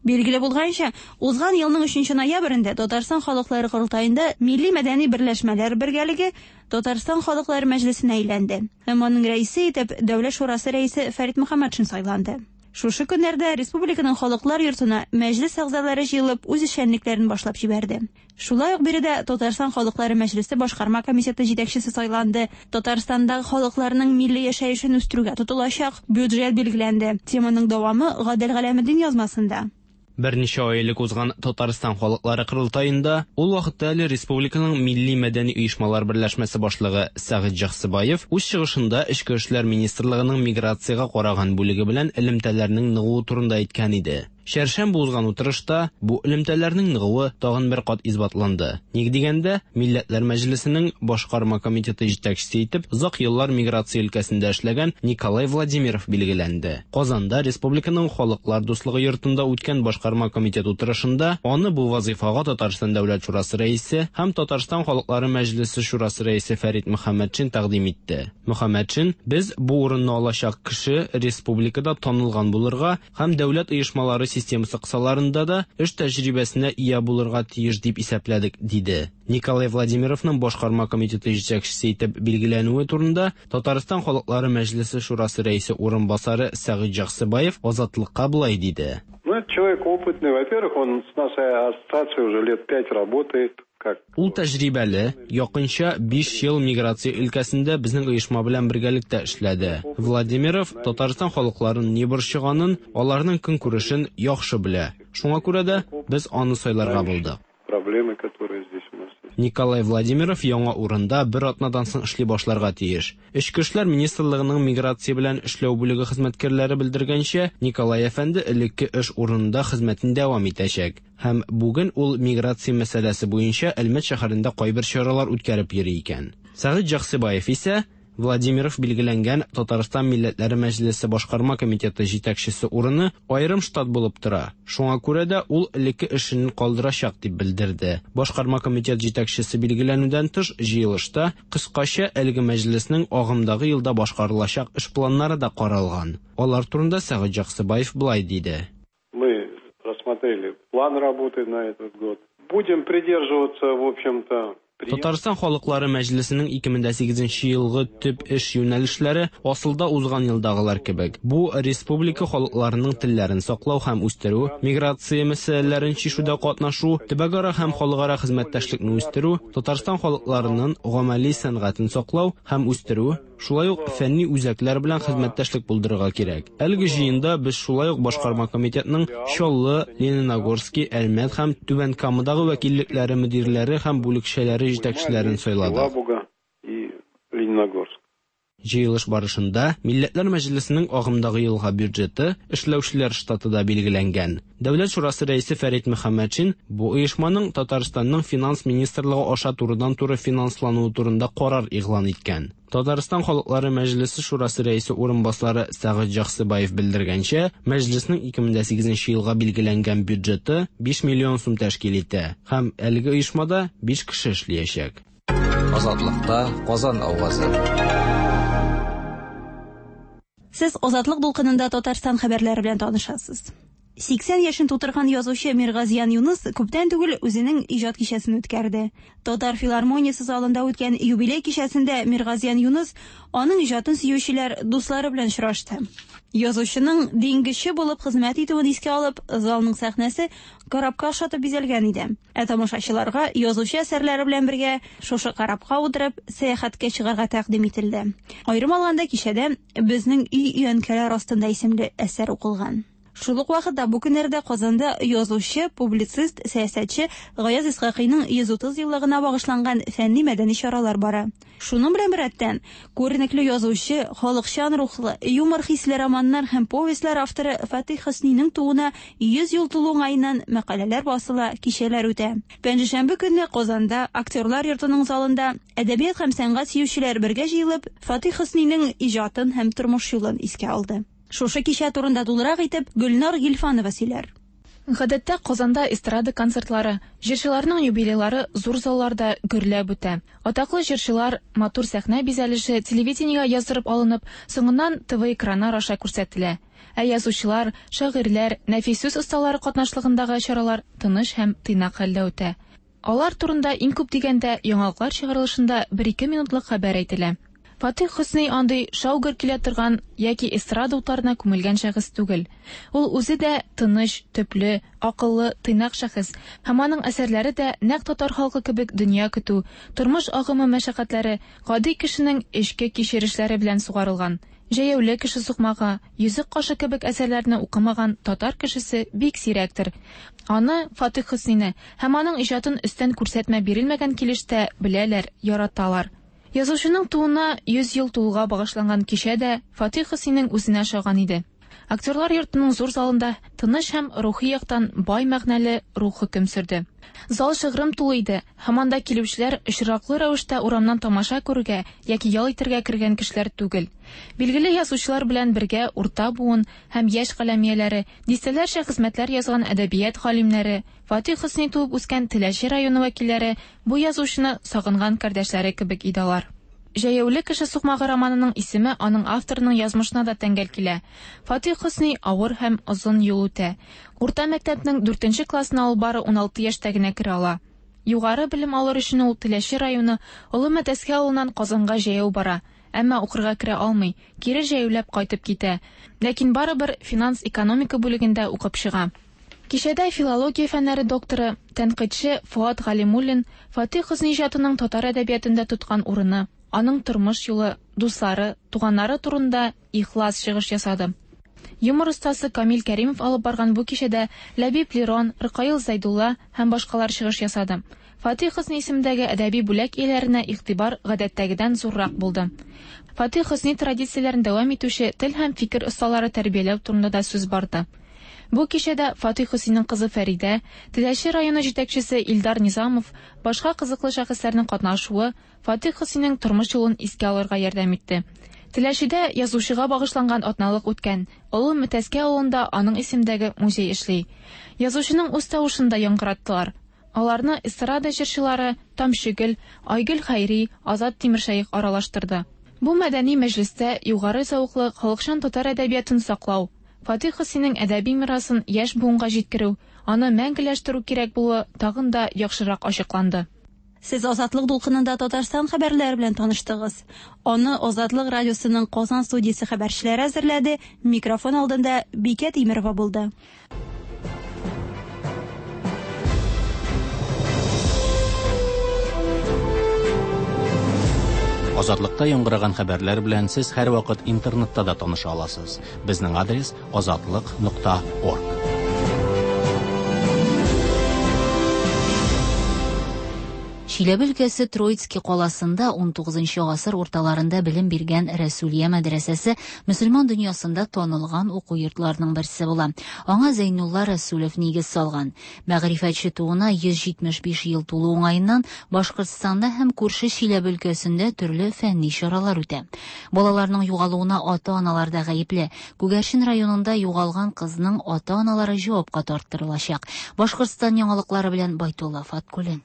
Билгеле булганча, узган елның өченче ноябрендә Татарстан халыклары корылтаенда милли мәдәни берләшмәләр бергәлеге Татарстан халыклары мәҗлесенә әйләнде. Һәм аның рәисе итеп Дәүләт шурасы рәисе Фәрит Мөхәммәтшин сайланды. Шушы көннәрдә республиканың халыклар йортына мәҗлес әгъзалары җыелып үз эшчәнлекләрен башлап җибәрде. Шулай ук биредә Татарстан халыклары мәҗлесе башкарма комитеты җитәкчесе сайланды. Татарстандагы халыкларның милли яшәешен үстерүгә тотылачак бюджет билгеләнде. Теманың дәвамы Гадел Галәметдин язмасында. Берничә ай элек узган Татарстан халыклары корылтаенда ул вакытта әле республиканың милли мәдәни оешмалар берләшмәсе башлыгы Сәгыйть Җаксыбаев үз чыгышында Эчке эшләр министрлыгының миграциягә караган бүлеге белән элемтәләрнең ныгуы турында әйткән иде. Чәршәмбе узган утырышта бу элемтәләрнең ныгуы тагын бер кат исбатланды. Ник дигәндә, Милләтләр Мәҗлесенең башкарма комитеты җитәкчесе итеп озак еллар миграция өлкәсендә эшләгән Николай Владимиров билгеләнде. Казанда Республиканың Халыклар дуслыгы йортында үткән башкарма комитет утырышында аны бу вазифага Татарстан Дәүләт Шурасы рәисе һәм Татарстан Халыклары Мәҗлесе Шурасы рәисе Фәрит Мөхәммәтшин тәкъдим итте. Мөхәммәтшин: "Без бу урынны алачак кеше республикада танылган булырга һәм дәүләт оешмалары системасы кысаларында да эш тәҗрибәсенә ия булырга тиеш дип исәпләдек", диде. Николай Владимировның башкарма комитеты җитәкчесе итеп билгеләнүе турында Татарстан Халыклары Мәҗлесе Шурасы рәисе урынбасары Сәгыйть Җаксыбаев Азатлыкка болай диде. Ну, это человек опытный. Во-первых, он с нашей ассоциацией уже лет пять работает. Как Ул тәҗрибәле, якынча биш ел миграция өлкәсендә безнең оешма белән бергәлектә эшләде. Владимиров Татарстан халыкларын ни борчыганын, аларның көнкүрешен яхшы белә. Шуңа күрә дә без аны сайларга булдык. проблемы, которые здесь у нас есть. Николай Владимиров яңа урында бер атнадан соң эшли башларга тиеш. Эчке эшләр министрлыгының миграция белән эшләү бүлеге хезмәткәрләре белдергәнчә, Николай әфәнде элекке эш урынында хезмәтен дәвам итәчәк. Һәм бүген ул миграция мәсьәләсе буенча Әлмәт шәһәрендә кайбер чаралар үткәреп йөри икән. Сәгыйть Җаксыбаев исә Владимиров билгеләнгән Татарстан Милләтләре Мәҗлесе башкарма комитеты җитәкчесе урыны аерым штат булып тора. Шуңа күрә дә ул элекке эшен калдырачак дип белдерде. Башкарма комитет җитәкчесе билгеләнүдән тыш җыелышта кыскача әлеге мәҗлеснең агымдагы елда башкарылачак эш планнары да каралган. Алар турында Сәгыйть Җаксыбаев болай диде. Мы рассмотрели план работы на этот год. Будем придерживаться, в общем-то, Татарстан Халыклары Мәҗлесенең ике мең дә сигезенче елгы төп эш юнәлешләре асылда узган елдагылар кебек. Бу республика халыкларының телләрен саклау һәм үстерү, миграция мәсьәләләрен чишүдә катнашу, төбәкара һәм халыкара хезмәттәшлекне үстерү, Татарстан халыкларының гамәли сәнгатен саклау һәм үстерү, шулай ук фәнни үзәкләр белән хезмәттәшлек булдырырга кирәк. Әлеге җыенда без шулай ук башкарма комитетның Чаллы, Лениногорский, Әлмәт һәм Түбән Камадагы вәкиллекләре мөдирләре һәм бүлекчәләре җитәкчеләрен сайладык. Елабуга и Лениногорск. Җыелыш барышында Милләтләр Мәҗлесенең агымдагы елга бюджеты, эшләүчеләр штаты да билгеләнгән. Дәүләт Шурасы рәисе Фәрит Мөхәммәтшин бу оешманың Татарстанның финанс министрлыгы аша турыдан-туры финанслануы турында карар игълан иткән. Татарстан Халыклары Мәҗлесе Шурасы рәисе урынбасары Сәгыйть Җаксыбаев белдергәнчә, мәҗлеснең ике мең дә сигезенче елга билгеләнгән бюджеты биш миллион сум тәшкил итә һәм әлеге оешмада биш кеше эшләячәк. Азатлыкта Казан авазы. Сез Азатлык дулкынында Татарстан хәбәрләре белән танышасыз. Сиксән яшен тутырган язучы Миргазиян Юныс күптән түгел үзенең иҗат кичәсен үткәрде. Татар филармониясе залында үткән юбилей кичәсендә Миргазиян Юныс аның иҗатын сөючеләр, дуслары белән очрашты. Язучының диңгезче булып хезмәт итүен искә алып, залның сәхнәсе корабка охшатып бизәлгән иде. Ә тамашачыларга язучы әсәрләре белән бергә шушы корабка утырып сәяхәткә чыгарга тәкъдим ителде. Аерым алганда кичәдә Безнең өй өянкәләр астында исемле әсәр укылган. Шул ук вакытта бу көннәрдә Казанда язучы, публицист, сәясәтче Гаяз Исхакыйның йөз утыз еллыгына багышланган фәнни-мәдәни чаралар бара. Шуның белән беррәттән, күренекле язучы, халыкчан рухлы, юмор хисле романнар һәм повестьлар авторы Фатих Хөсниның тууына йөз ел тулу уңаеннан мәкаләләр басыла, кичәләр үтә. Пәнҗешәмбе көнне Казанда Актерлар йортының залында әдәбият һәм сәнгать сөючеләр бергә җыелып, Фатих Хөсниның иҗатын һәм тормыш юлын искә алды. Шушы кичә турында тулырак итеп Гөлнар Гилфанова сөйләр. Гадәттә Казанда эстрада концертлары, җырчыларның юбилейлары зур залларда гөрләп үтә. Атаклы җырчылар матур сәхнә бизәлеше телевидениегә яздырып алынып, соңыннан Т В экраннар аша күрсәтелә. Ә язучылар, шагыйрьләр, нәфис сүз осталары катнашлыгындагы чаралар тыныч һәм тыйнак хәлдә үтә. Алар турында иң күп дигәндә яңалыклар чыгарылышында бер-ике минутлык хәбәр әйтелә. Фатих Хөсни андый шау-гөр килә торган яки эстрада утларына күмелгән шәхес түгел. Ул үзе дә тыныч, төпле, акыллы, тыйнак шәхес һәм аның әсәрләре дә нәкъ татар халкы кебек дөнья көтү, тормыш агымы мәшәкатьләре, гади кешенең эчке кичерешләре белән сугарылган. Җәяүле кеше сукмагы, Йөзек кашы кебек әсәрләрне укымаган татар кешесе бик сирәктер. Аны, Фатих Хөснине һәм аның иҗатын өстән күрсәтмә бирелмәгән килеш тә беләләр, яраталар. Язучының тууына йөз ел тулуга багышланган кичә дә Фатих Хөснинең үзенә ошаган иде. Актерлар йортының зур залында тыныч һәм рухи яктан бай мәгънәле рух хөкем сөрде. Зал шыгрым тулы иде, һәм анда килүчеләр очраклы рәвештә урамнан тамаша күрергә яки ял итәргә кергән кешеләр түгел. Билгеле язучылар белән бергә урта буын һәм яшь каләм ияләре, дистәләрчә хезмәтләр язган әдәбият галимнәре, Фатих Хөсни туып үскән Теләче районы вәкилләре бу язучыны сагынган кардәшләре кебек иде алар. Җәяүле кеше сукмагы романының исеме аның авторының язмышына да тәңгәл килә. Фатих Хөсни авыр һәм озын юл үтә. Урта мәктәпнең дүртенче классына ул бары уналты яшьтә генә керә ала. Югары белем алыр өчен ул Теләче районы Олы Мәтәскә авылыннан Казанга җәяү бара, әмма укырга керә алмый, кире җәяүләп кайтып китә. Ләкин барыбер финанс-экономика бүлегендә укып чыга. Кичәдә филология фәннәре докторы, тәнкыйтьче Фуат Галимуллин Фатих Хөсни иҗатының татар әдәбиятында тоткан урыны, аның тормыш юлы, дуслары, туганнары турында ихлас чыгыш ясады. Юмор остасы Камил Кәримов алып барган бу кичәдә Ләбиб Лерон, Ркаил Зәйдулла һәм башкалар чыгыш ясады. Фатих Хөсни исемендәге әдәби бүләк ияләренә игътибар гадәттәгедән зуррак булды. Фатих Хөсни традицияләрен дәвам итүче тел һәм фикер осталары тәрбияләү турында да сүз барды. Бу кичәдә Фатих Хөснинең кызы Фәридә, Теләче районы җитәкчесе Илдар Низамов, башка кызыклы шәхесләрнең катнашуы Фатих Хөснинең тормыш юлын искә алырга ярдәм итте. Теләчедә язучыга багышланган атналык үткән. Олы Мәтәскә авылында аның исемдәге музей эшли. Язучының үз тавышын да яңгыраттылар. Аларны эстрада җырчылары Тамчыгөл, Айгөл Хәйри, Азат Тимершәех аралаштырды. Бу мәдәни мәҗлестә югары зәвыклы халыкчан татар әдәбиятын саклау, Фатих Хөснинең әдәби мирасын яшь буынга җиткерү, аны мәңгеләштерү кирәк булуы тагын да яхшырак ачыкланды. Сез Азатлык дулкынында Татарстан хәбәрләре белән таныштыгыз. Аны Азатлык радиосының Казан студиясе хәбәрчеләре әзерләде. Микрофон алдында Бикә Тимерова булды. Азатлыкта яңгыраган хәбәрләр белән сез һәрвакыт интернетта да таныша аласыз. Безнең адрес азатлык нокта орг. Чиләбе өлкәсе Троицкий каласында ун тугызынчы гасыр урталарында белем биргән Рәсүлия мәдрәсәсе мөселман дөньясында танылган уку йортларының берсе була. Аңа Зәйнулла Рәсүлев нигез салган. Мәгърифәтче тууына йөз җитмеш биш ел тулу уңаеннан Башкортстанда һәм күрше Чиләбе өлкәсендә төрле фәнни чаралар үтә. Балаларның югалуына ата-аналар да гаепле. Күгәрчен районында югалган кызның ата-аналары җавапка тарттырылачак. Башкортстан яңалыклары белән Байтулла Фаткуллин.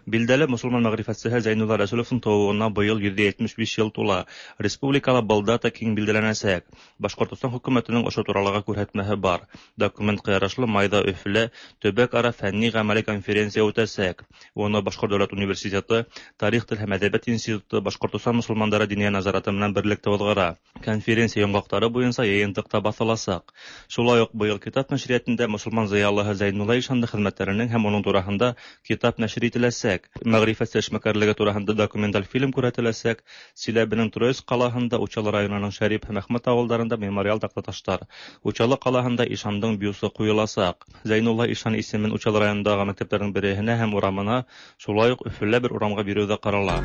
Билдәле мусульман мәгърифәтчесе Зәйнулла Рәсүловның тууына быел йөз җитмеш биш ел тула. Республикала был дата киң билдәләнәсәк. Башкортостан хөкүмәтенең ошо туралыга күрһәтмәһе бар. Документка ярашлы майда Өфөлә төбәк-ара фәнни гамәли конференция үтәсәк. Уны Башкорт дәүләт университеты, Тарих, тел һәм әдәбият институты, Башкортостан мусульмандары диния назараты менән берлектә уҙғара. Конференция йомғаҡтары буйынса йыйынтыҡта баҫыласаҡ. Шулай уҡ быйыл китап нәшриәтендә мосолман зыялыһы Зәйнулла ишанды хеҙмәттәренең һәм уның тураһында китап нәшер ителәсәк. Мәгърифәтсе эшмәкәрлеге тураһында документаль фильм күрһәтеләсәк. Силәбенең Троицк ҡалаһында, Учалы районының Шәрип һәм Әхмәт ауылдарында мемориал таҡтаташтар. Учалы ҡалаһында ишандың бюсы ҡуйыласаҡ. Зәйнулла ишан исемен Учалы районындағы мәктәптәрҙең береһенә һәм урамына, шулай уҡ Өфөлә бер урамға биреү ҙә ҡарала.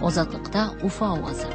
Азатлыҡта Уфа ауазы.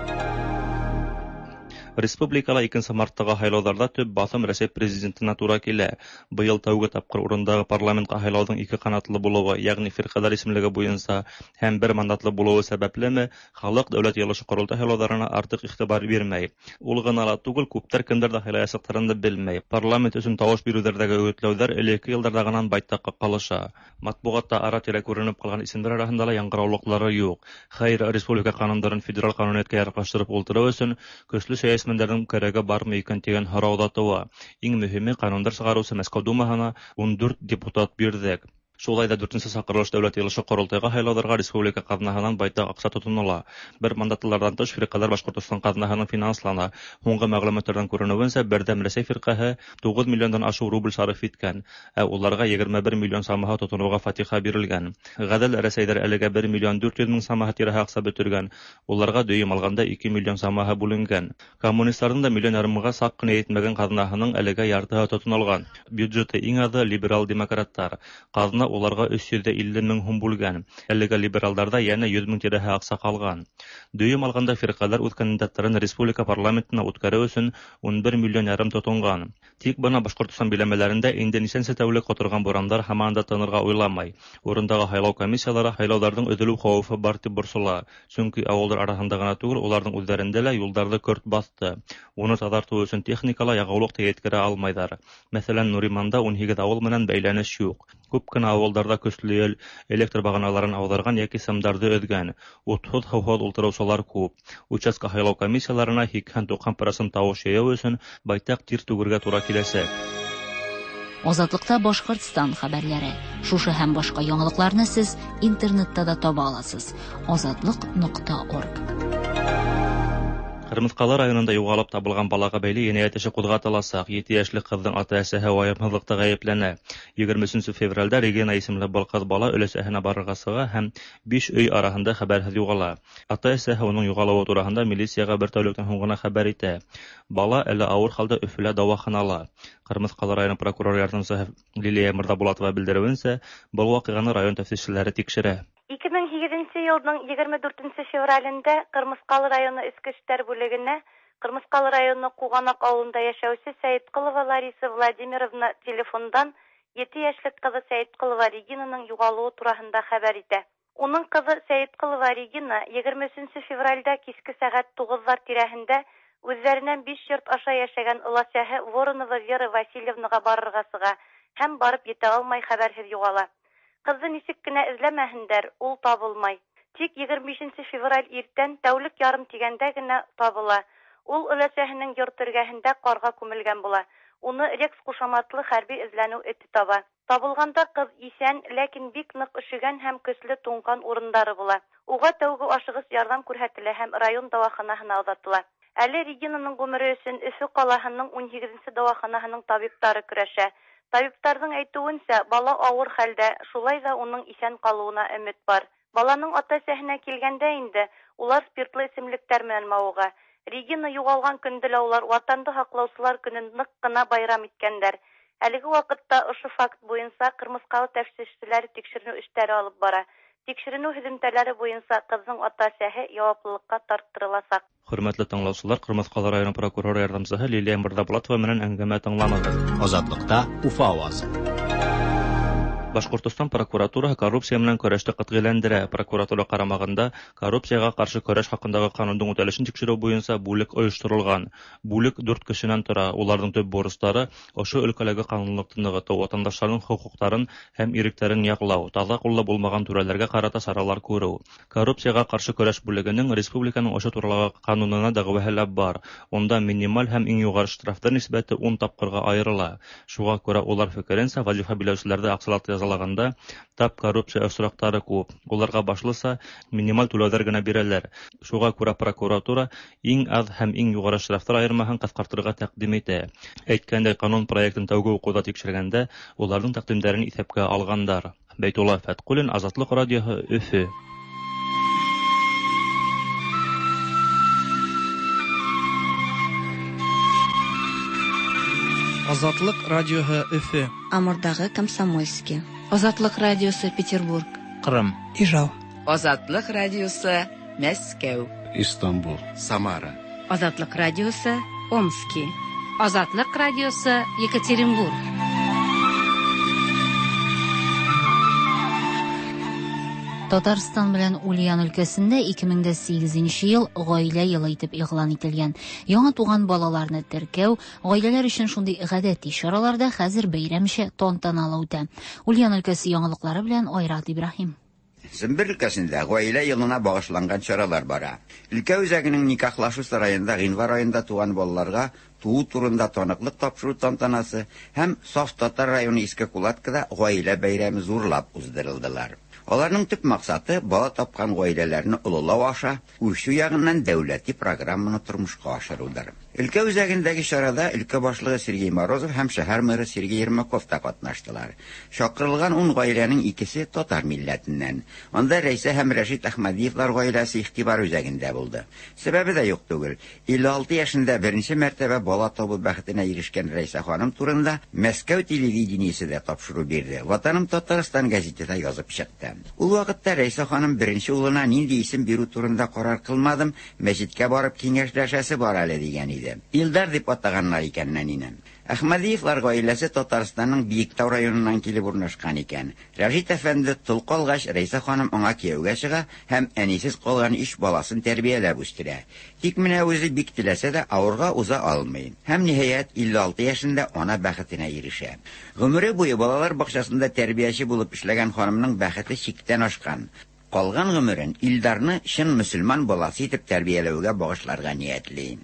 Республикала икенсе марттағы һайлауҙарҙа төп баҫым Рәсәй президентына тура килә. Быйыл тәүге тапҡыр урындағы парламентҡа һайлауҙың ике ҡанатлы булыуы, йәғни фирҡәләр исемлеге буйынса һәм бер мандатлы булыуы сәбәплеме, халыҡ дәүләт йыйылышы ҡоролтай һайлауҙарына артыҡ иғтибар бирмәй. Ул ғына ла түгел, күптәр кемдәрҙе һайлаясаҡтарын да белмәй. Парламент өсөн тауыш биреүҙәрҙәге өгөтләүҙәр элекке йылдарҙағынан байтаҡҡа ҡалыша. Матбуғатта ара-тирә күренеп ҡалған исемдәр араһында ла яңғыраулыҡлары юҡ. Хәйер, республика ҡанундарын федераль ҡануниәткә яраҡлаштырып ултырыу өсөн көслө сәйәси Мендәрҙең кәрәге бармы икән тигән һорау ҙа тыуа. Иң мөһиме, ҡанундар сығарыусы Мәскәү Думаһына ун дүрт депутат бирҙек. Шулай да дүртенсе саҡырылыш дәүләт йыйылышы ҡоролтайға һайлауҙарға республика ҡаҙнаһынан байтаҡ аҡса тотонола. Бер мандатлыларҙан тыш фирҡәләр Башҡортостан ҡаҙнаһынан финанслана. Һуңғы мәғлүмәттәрҙән күренеүенсә, Берҙәм Рәсәй фирҡәһе туғыҙ миллиондан ашыу рубль сарыф иткән, ә уларға егерме бер миллион самаһы тотоноуға фатиха бирелгән. Ғәҙел Рәсәйҙәр әлегә бер миллион дүрт йөҙ мең самаһы тирәһе аҡса бөтөргән, уларға дөйөм алғанда ике миллион самаһы бүленгән. Коммунистарҙың да миллион ярымға саҡ ҡына етмәгән ҡаҙнаһының әлегә яртыһы тотонолған. Бюджеты иң аҙы либерал-демократтар. Ҡаҙна уларға өс йөҙ илле мең һум бүлгән. Әлегә либералдарҙа йәнә йөҙ мең тирәһе аҡса ҡалған. Дөйөм алғанда фирҡәләр үҙ кандидаттарын республика парламентына үткәреү өсөн ун бер миллион ярым тотонған. Тик бына Башҡортостан биләмәләрендә инде нисәнсе тәүлек ҡоторған бурандар һаман да тынырға уйламай. Урындағы һайлау комиссиялары һайлауҙарҙың өҙөлөү хәүефе бар тип борсола. Сөнки ауылдар араһында ғына түгел, уларҙың үҙҙәрендә лә юлдарҙы көрт баҫты. Уны таҙартыу өсөн техникала яғыулыҡ та еткерә алмайҙар. Мәҫәлән, Нуриманда ун һигеҙ ауыл менән бәйләнеш юҡ. Күп кенә ауылдарҙа көслө ел электр бағаналарын ауҙарған йәки сымдарҙы өҙгән. Утһыҙ, һыуһыҙ ултырыусылар күп. Участка һайлау комиссияларына һикһән туҡһан процент тауыш йыйыу өсөн байтаҡ тир түгергә тура киләсәк. Азатлыкта Башҡортостан хәбәрләре. Шушы һәм башҡа яңалыҡларны сез интернетта да таба аласыз. Азатлык нокта орг. Ҡырмыҫҡалы районында юғалып табылған балаға бәйле енәйәт эше ҡуҙғатыласаҡ. Ете йәшлек ҡыҙҙың ата-әсәһе вайымһыҙлыҡта ғәйепләнә. Егерме өсөнсө февралдә Регина исемле был ҡыҙ бала өләсәһенә барырға сыға һәм биш өй араһында хәбәрһеҙ юғала. Ата-әсәһе уның юғалыуы тураһында милицияға бер тәүлектән һуң ғына хәбәр итә. Бала әле ауыр хәлдә Өфөлә дауаханала. Ҡырмыҫҡалы районы прокурор ярҙамсыһы Лилия Мырҙабулатова белдереүенсә, был ваҡиғаны район тәфтишселәре тикшерә. Ике мең һигеҙенсе йылдың егерме дүртенсе февралендә Ҡырмыҫҡалы районы Эске эштәр бүлегенә Ҡырмыҫҡалы районы Ҡуғанаҡ ауылында йәшәүсе Сәйетҡолова Лариса Владимировна телефондан ете йәшлек ҡыҙы Сәйетҡолова Регинаның юғалыуы тураһында хәбәр итә. Уның ҡыҙы Сәйетҡолова Регина егерме өсөнсө февралдә киске сәғәт туғыҙҙар тирәһендә үҙҙәренән биш йорт аша йәшәгән оласәһе Воронова Вера Васильевнаға барырға сыға һәм барып етә алмай хәбәрһеҙ юғала. Ҡыҙҙы нисек кенә эҙләмәһендәр, ул табылмай. Тик егерме бишенсе февраль иртән тәүлек ярым тигәндә генә табыла. Ул өләсәһенең йорт эргәһендә ҡарға күмелгән була. Уны Рекс ҡушаматлы хәрби эҙләнеү эте таба. Табылғанда ҡыҙ иҫән, ләкин бик ныҡ өшөгән һәм көслө туңған урындары була. Уға тәүге ашығыс ярҙам күрһәтелә һәм район дауаханаһына оҙатыла. Әле Регинаның ғүмере өсөн Өфө ҡалаһының ун һигеҙенсе дауаханаһының табиптары көрәшә. Табиптарҙың әйтеүенсә, бала ауыр хәлдә, шулай ҙа уның иҫән ҡалыуына өмөт бар. Баланың ата-әсәһенә килгәндә инде, улар спиртлы эсемлектәр менән мауыға. Регина юғалған көндө лә улар Ватанды һаҡлаусылар көнөн ныҡ ҡына байрам иткәндәр. Әлеге ваҡытта ошо факт буйынса Ҡырмыҫҡалы тәфтишселәре тикшеренеү эштәре алып бара. Тикшеренеү һөҙөмтәләре буйынса ҡыҙҙың ата-әсәһе яуаплылыҡҡа тарттырыласаҡ. Хөрмәтле тыңлаусылар, Ҡырмыҫҡалы районы прокуроры ярҙамсыһы Лилия Мырҙабулатова менән әңгәмә тыңланығыҙ. Азатлыкта Уфа ауазы. Башҡортостан прокуратураһы коррупция менән көрәште ҡәтғиләндерә. Прокуратура ҡарамағында коррупцияға ҡаршы көрәш хаҡындағы ҡанундың үтәлешен тикшереү буйынса бүлек ойошторолған. Бүлек дүрт кешенән тора. Уларҙың төп бурыстары ошо өлкәләге ҡанунлыҡты нығытыу, ватандаштарҙың хоҡуҡтарын һәм иректәрен яҡлау, таҙа ҡуллы булмаған түрәләргә ҡарата саралар күреү. Коррупцияға ҡаршы көрәш бүлегенең республиканың ошо туралағы ҡанунына дәғүәһе лә бар. Унда минималь һәм иң юғары штрафтар нисбәте ун тапҡырға айырыла. Шуға күрә улар фекеренсә, вазифа биләүселәрҙе аҡсалата язалағанда тап коррупция осраҡтары күп. Уларға башлыса минималь түләүҙәр генә бирәләр. Шуға күрә прокуратура иң аҙ һәм иң юғары штрафтар айырмаһын ҡыҫҡартырға тәҡдим итә. Әйткәндәй, ҡанун проектын тәүге уҡыуҙа тикшергәндә уларҙың тәҡдимдәрен иҫәпкә алғандар. Бәйтулла Фәтҡуллин, Азатлыҡ радиоһы, Өфө. Азатлык радиоһы Өфө. Амурдағы Комсомольский. Азатлык радиосы Петербург. Ҡырым. Ижау. Азатлык радиосы Мәскәү. Истанбул. Самара. Азатлык радиосы Омски. Азатлык радиосы Екатеринбург. Татарстан белән Ульян өлкәсендә ике мең дә сигеҙенсе йыл ғаилә йылы итеп игълан ителгән. Яңа туған балаларны теркәү, ғаиләләр өчен шундый гадәти чаралар да хәзер бәйрәмчә тантаналы үтә. Ульян өлкәсе яңалыклары белән Айрат Ибраһим. Сембер өлкәсендә гаилә елына багышланган чаралар бара. Өлкә үзәгенең никахлашу сараенда гыйнвар аенда туган балаларга туу турында таныклык тапшыру тантанасы һәм Саф Татар районы Иске Кулаткада гаилә бәйрәме зурлап уздырылдылар. Аларның төп максаты бала тапкан гаиләләрне олылау аша үрчү ягыннан дәүләти программаны тормышка ашырудыр. Өлкә үзәгендәге чарада өлкә башлыгы Сергей Морозов һәм шәһәр мэры Сергей Ермаков та катнаштылар. Чакырылган ун гаиләнең икесе татар милләтеннән. Анда Рәйсә һәм Рәшит Әхмәдиевлар гаиләсе игътибар үзәгендә булды. Сәбәбе дә юк түгел. илле алты яшендә беренче мәртәбә бала табу бәхетенә ирешкән Рәйсә ханым турында Мәскәү телевидениесе дә тапшыру бирде. Ватаным Татарстан гәзите дә язып чыкты. Ул вакытта Рәйсә ханым беренче улына нинди исем бирү турында карар кылмадым, мәчеткә барып киңәшләшәсе бар әле дигән иде. Илдар дип атаганнар икән нәнине. Әхмәдиевлар гаиләсе Татарстанның Биектау районыннан килеп урнашкан икән. Рәшит әфәнде тол калгач, Рәйсә ханым аңа кияүгә чыга һәм әнисез калган өч баласын тәрбияләп үстерә. Тик менә үзе бик теләсә дә авырга уза алмый. Һәм ниһаять илле алты яшендә ана бәхетенә ирешә. Гомере буе балалар бакчасында тәрбияче булып эшләгән ханымның бәхете чиктән ашкан. Калган гомерен Илдарны чын мөселман баласы итеп тәрбияләүгә багышларга ниятли.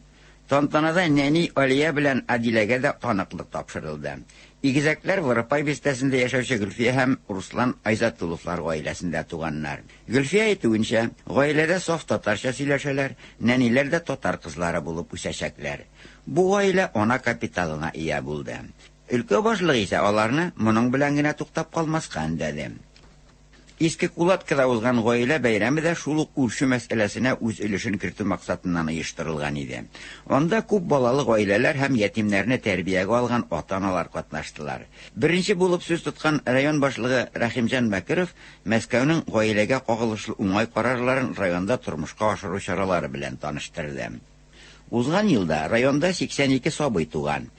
Тантанада нәни Алия белән Адиләгә дә таныклык тапшырылды. Игезәкләр Воропай бистәсендә яшәүче Гөлфия һәм Руслан Айзатулловлар гаиләсендә туганнар. Гөлфия әйтүенчә, гаиләдә саф татарча сөйләшәләр, нәниләр дә татар кызлары булып үсәчәкләр. Бу гаилә ана капиталына ия булды. Өлкә башлыгы исә аларны моның белән генә туктап калмаска өндәде. Иске Кулаткада узган гаилә бәйрәме дә шул ук үрчү мәсьәләсенә үз өлешен кертү максатыннан оештырылган иде. Анда күп балалы гаиләләр һәм ятимнәрне тәрбиягә алган ата-аналар катнаштылар. Беренче булып сүз тоткан район башлыгы Рәхимҗан Бәкиров Мәскәүнең гаиләгә кагылышлы уңай карарларын районда тормышка ашыру чаралары белән таныштырды. Узган елда районда сиксән ике сабый туган.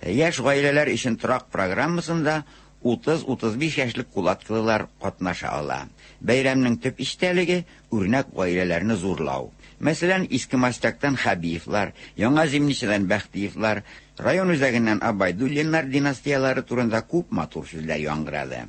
Яшь гаиләләр өчен торак программасында утыз-утыз биш яшьлек кулаткылылар катнаша ала. Бәйрәмнең төп истәлеге үрнәк гаиләләрне зурлау. Мәсәлән, Иске Мастяктан Хабиевлар, Яңа Зимничәдән Бәхтиевлар, район үзәгеннән Абайдуллиннар династиялары турында күп матур сүзләр яңгырады.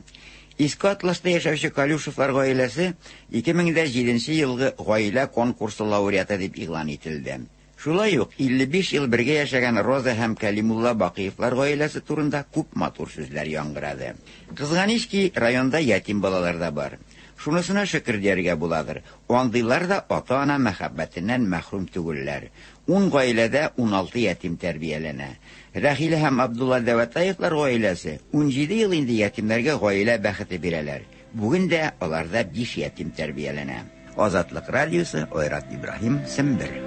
Иске Атласта яшәүче Калюшевлар гаиләсе ике мең дә җиденче елгы гаилә конкурсы лауреаты дип игълан ителде. Шулай ук илле биш ел бергә яшәгән Роза һәм Кәлимулла Бакыевлар гаиләсе турында күп матур сүзләр яңгырады. Кызганыч ки, районда ятим балалар да бар. Шунысына шөкер дияргә буладыр. Андыйлар да ата-ана мәхәббәтеннән мәхрүм түгелләр. Ун гаиләдә ун алты ятим тәрбияләнә. Рәхилә һәм Абдулла Дәвәтаевлар гаиләсе ун җиде ел инде ятимнәргә гаилә бәхете бирәләр. Бүген дә аларда биш ятим тәрбияләнә. Азатлык радиосы, Айрат Ибраһим, Сембер.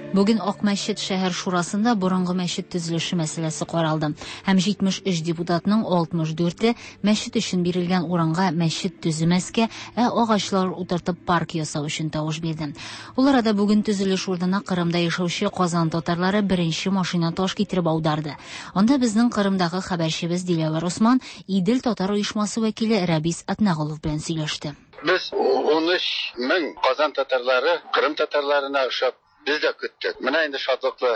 Бүген Акмәчет шәһәр шурасында борынгы мәчет төзелеше мәсьәләсе каралды. Һәм җитмеш өч депутатның алтмыш дүрте мәчет өчен бирелгән урынга мәчет төземәскә, ә агачлар утыртып парк ясау өчен тавыш бирде. Ул арада бүген төзелеш урынына Кырымда яшәүче Казан татарлары беренче машина таш китереп аударды. Анда безнең Кырымдагы хәбәрчебез Диләвәр Осман Идел татар оешмасы вәкиле Рәбис Атнагулов белән сөйләште. Без ун өч мең Казан татарлары Кырым татарларына ошап без дә көттек. Менә инде шатлыклы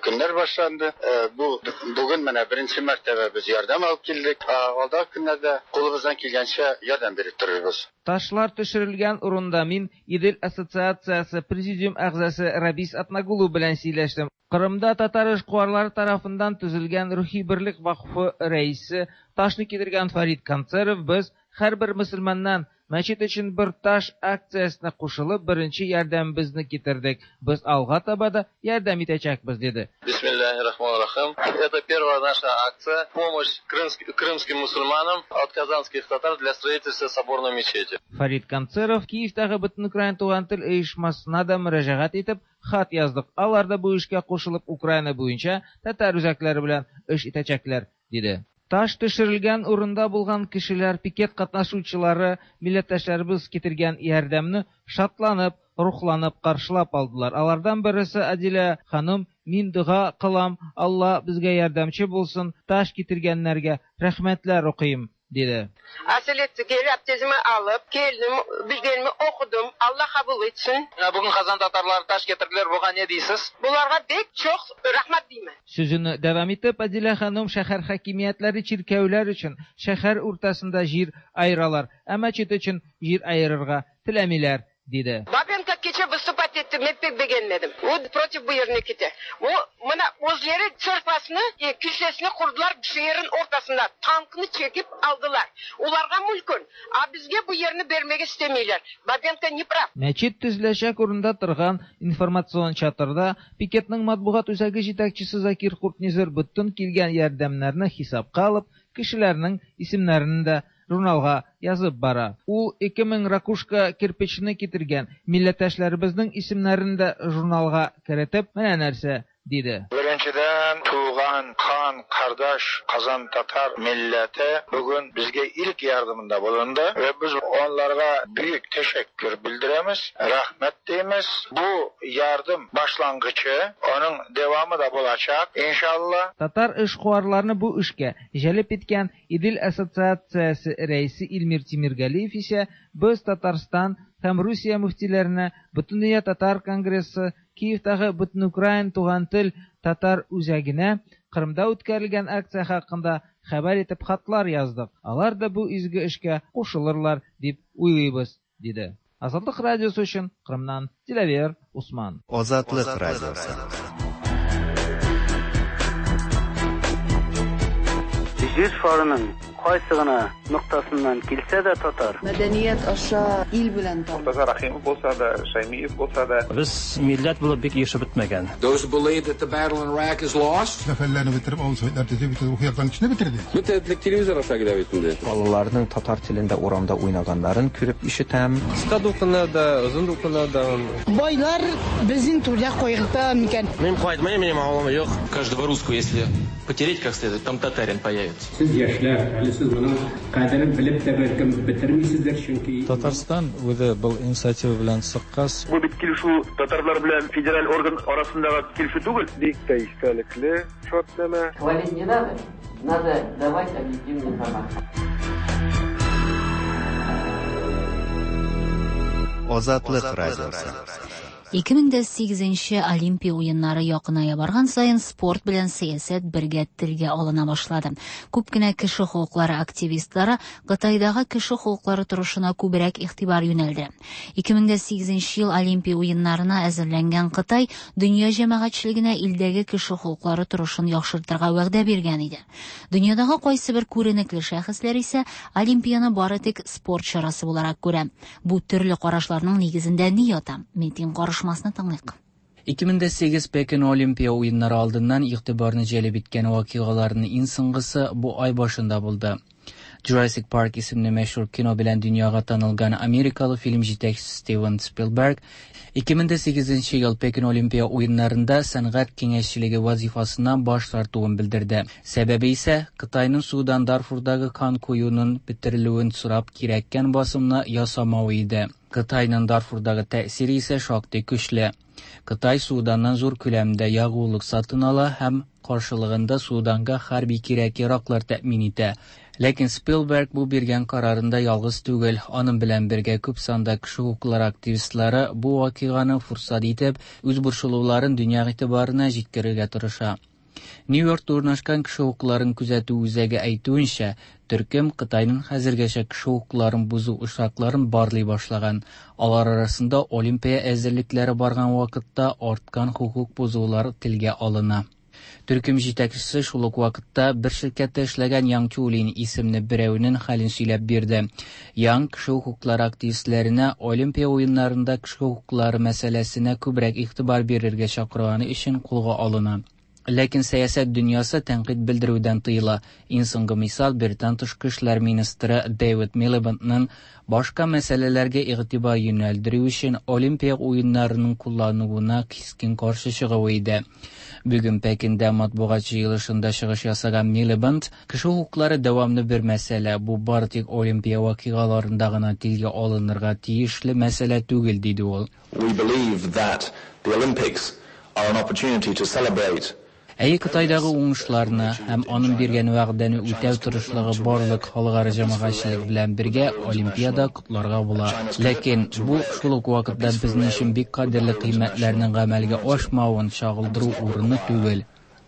көннәр башланды. Бу бүген менә беренче мәртәбә без ярдәм алып килдек. Алдагы көннәрдә кулыбыздан килгәнчә ярдәм биреп торырбыз. Ташлар төшерелгән урында мин Идел ассоциациясе президиум әгъзасы Рәбис Атнагулов белән сөйләштем. Кырымда татар эшкуарлары тарафыннан төзелгән Рухи берлек вакыфы рәисе ташны китергән Фарид Концеров без һәрбер мөселманнан мәчет өчен бер таш акциясенә кушылып беренче ярдәмебезне китердек. Без алга таба да ярдәм итәчәкбез, диде. Бисмиллахир-рахманир-рахим. Это первая наша акция помощь крымским мусульманам от казанских татар для строительства соборной мечети. Фарид Концеров Киевтагы Бөтенукраин туган тел оешмасына да мөрәҗәгать итеп хат яздык. Алар да бу эшкә кушылып Украина буенча татар үзәкләре белән эш итәчәкләр, диде. Таш төшерелгән урында булган кешеләр, пикет катнашучылары, милләттәшләребез китергән ярдәмне шатланып, рухланып каршылап алдылар. Алардан бересе Адилә ханым, мин дога кылам, Алла безгә ярдәмче булсын, таш китергәннәргә рәхмәтләр укыйм, диде. Asileti gelip abdestimi alıp geldim, bilgilerimi okudum. Allah kabul etsin. Bugün Kazan Tatarları taş getirdiler. Buğa ne deysiz? Bularga bek çok rahmet deyman. Сүзен дәвам итеп, Адилә ханым шәһәр хакимиятләре чиркәүләр өчен шәһәр уртасында җир аералар, ә мәчет өчен җир аерырга теләмиләр, диде. Бабенко кичә выступать итте, мин пек бегәнмәдем. Ул против бу ерне китә. Ул менә үзләре церквасны, килсәсен курдылар шәһәрнең уртасында, танкны чекип алдылар. Уларга мөлкөн, а безгә бу ерне бермәгә истәмиләр. Бабенко не прав. Мәчет төзеләчәк урында торган информацион чатырда пикетның матбугат үзәге җитәкчесе Закир Куртнизер бөтен килгән ярдәмнәрне хисапка алып, кешеләрнең исемнәрен дә журналга язып бара. Ул ике мең ракушка кирпичне китергән милләттәшләребезнең исемнәрен дә журналга керетеп, менә нәрсә диде. Беренчедән, туган, кан, кардаш, Казан татар милләте бүген безгә илк ярдәмендә булынды ва без аларга бөек тәшәккүр белдерәбез, рәхмәт димез. Бу ярдәм башлангычы, аның дәвамы да булачак, иншалла. Татар эшкуарларны бу эшкә җәлеп иткән Идел ассоциациясе рәисе Илмир Тимиргалиев исә без Татарстан һәм Русия мөфтиләренә, Бөтендөнья татар конгрессы, Киевтагы Бөтенукраин туган тел татар үзәгенә Кырымда үткәрелгән акция хакында хәбәр итеп хатлар яздык. Алар да бу изге эшкә кушылырлар дип уйлыйбыз, диде. Азатлык радиосы өчен Кырымнан Диләвер Усман. Азатлык радиосы. Җир шарының кайсы гына ноктасыннан килсә дә татар. Мәдәният аша ил белән танып. Мортаза Рахимов булса да, Шаймиев булса да. Без милләт булып бик ешып бетмәгән. Those who believe that the battle in Iraq is lost. Зафәрләрне бетереп, авыл советлар төзеп, бөтен рухи яктан кешене бетерде. Бөтен телевизор аша килә бит инде. Балаларның татар телендә урамда уйнаганнарын күреп ишетәм. Кыска дулкыннарда, озын дулкыннарда. Байлар безнең түрдә кайгырта микән? Мин кайтмыйм, минем авылым юк. Каждого русского, если потереть как следует, там татарин появится. Сез яшьләр, әле сез моның кадерен белеп тә бәлкем бетермисездер, чөнки Татарстан үзе был инициатива белән чыккач, бу бит килешү татарлар белән федераль орган арасындагы килешү түгел. Бик тә истәлекле шартнамә. Хвалить не надо, надо давать объективную информацию. Азатлык радиосы. ике мең дә сигезенче Олимпия уеннары якыная барган саен спорт белән сәясәт бергә телгә алына башлады. Күп кенә кеше хокуклары активистлары Кытайдагы кеше хокуклары торышына күбрәк игътибар юнәлде. ике мең дә сигезенче ел Олимпия уеннарына әзерләнгән Кытай дөнья җәмәгатьчелегенә илдәге кеше хокуклары торышын яхшыртырга вәгъдә биргән иде. Дөньядагы кайсы бер күренекле шәхесләр исә Олимпияны бары тик спорт чарасы буларак күрә. Бу төрле карашларның нигезендә ни ята? Митинг карышмасны тыңлыйк. ике мең дә сигез Пекин Олимпия уеннары алдыннан игътибарны җәлеп иткән вакыйгаларның иң соңгысы бу ай башында булды. Jurassic Park исемле мәшһүр кино белән дөньяга танылган америкалы фильм җитәкчесе Стивен Спилберг ике мең дә сигезенче ел Пекин Олимпия уеннарында сәнгать киңәшчелеге вазифасыннан баш тартуын белдерде. Сәбәбе исә Кытайның Судан Дарфурдагы кан коюның бетерелүен сорап кирәккән басымны ясамавы иде. Кытайның Дарфурдагы тәэсире исә шактый көчле. Кытай Суданнан зур күләмдә ягулык сатын ала һәм каршылыгында Суданга хәрби кирәк-яраклар тәэмин итә. Ләкин Спилберг бу биргән карарында ялгыз түгел. Аның белән бергә күп санда кеше хокуклары активистлары бу вакыйганы фурсат итеп, үз борчылуларын дөнья игътибарына җиткерергә тырыша. Нью-Йоркта урнашкан кеше хокукларын күзәтү үзәге әйтүенчә, төркем Кытайның хәзергәчә кеше хокукларын бозу очракларын барлый башлаган. Алар арасында Олимпия әзерлекләре барган вакытта арткан хокук бозулар телгә алына. Төркем җитәкчесе шул ук вакытта бер ширкәттә эшләгән Яң Чулин исемле берәүнең хәлен сөйләп бирде. Яң кеше хокуклары активистләренә Олимпия уеннарында кеше хокуклары мәсьәләсенә күбрәк игътибар бирергә чакырганы өчен кулга алына. Ләкин сәясәт дөньясы тәнкыйть белдерүдән тыела. Иң соңгы мисал Британ тышкы эшләр министры Дэвид Милибендның башка мәсьәләләргә игътибар юнәлдерү өчен Олимпия уеннарының куллануына кискен каршы чыгуы иде. Бүген Пекиндә матбугат җыелышында чыгыш ясаган Милибенд, кеше хокуклары дәвамлы бер мәсьәлә, бу бары тик Олимпия вакыйгаларында гына телгә алынырга тиешле мәсьәлә түгел, диде ул. We believe that the Olympics are an opportunity to celebrate Әйе, Кытайдагы уңышларны һәм аның биргән вәгъдәне үтәү тырышлыгы барлык халыкара җәмәгатьчелек белән бергә Олимпиада котларга була. Ләкин бу шул ук вакытта безнең өчен бик кадерле кыйммәтләрнең гамәлгә ашмавын чагылдыру урыны түгел.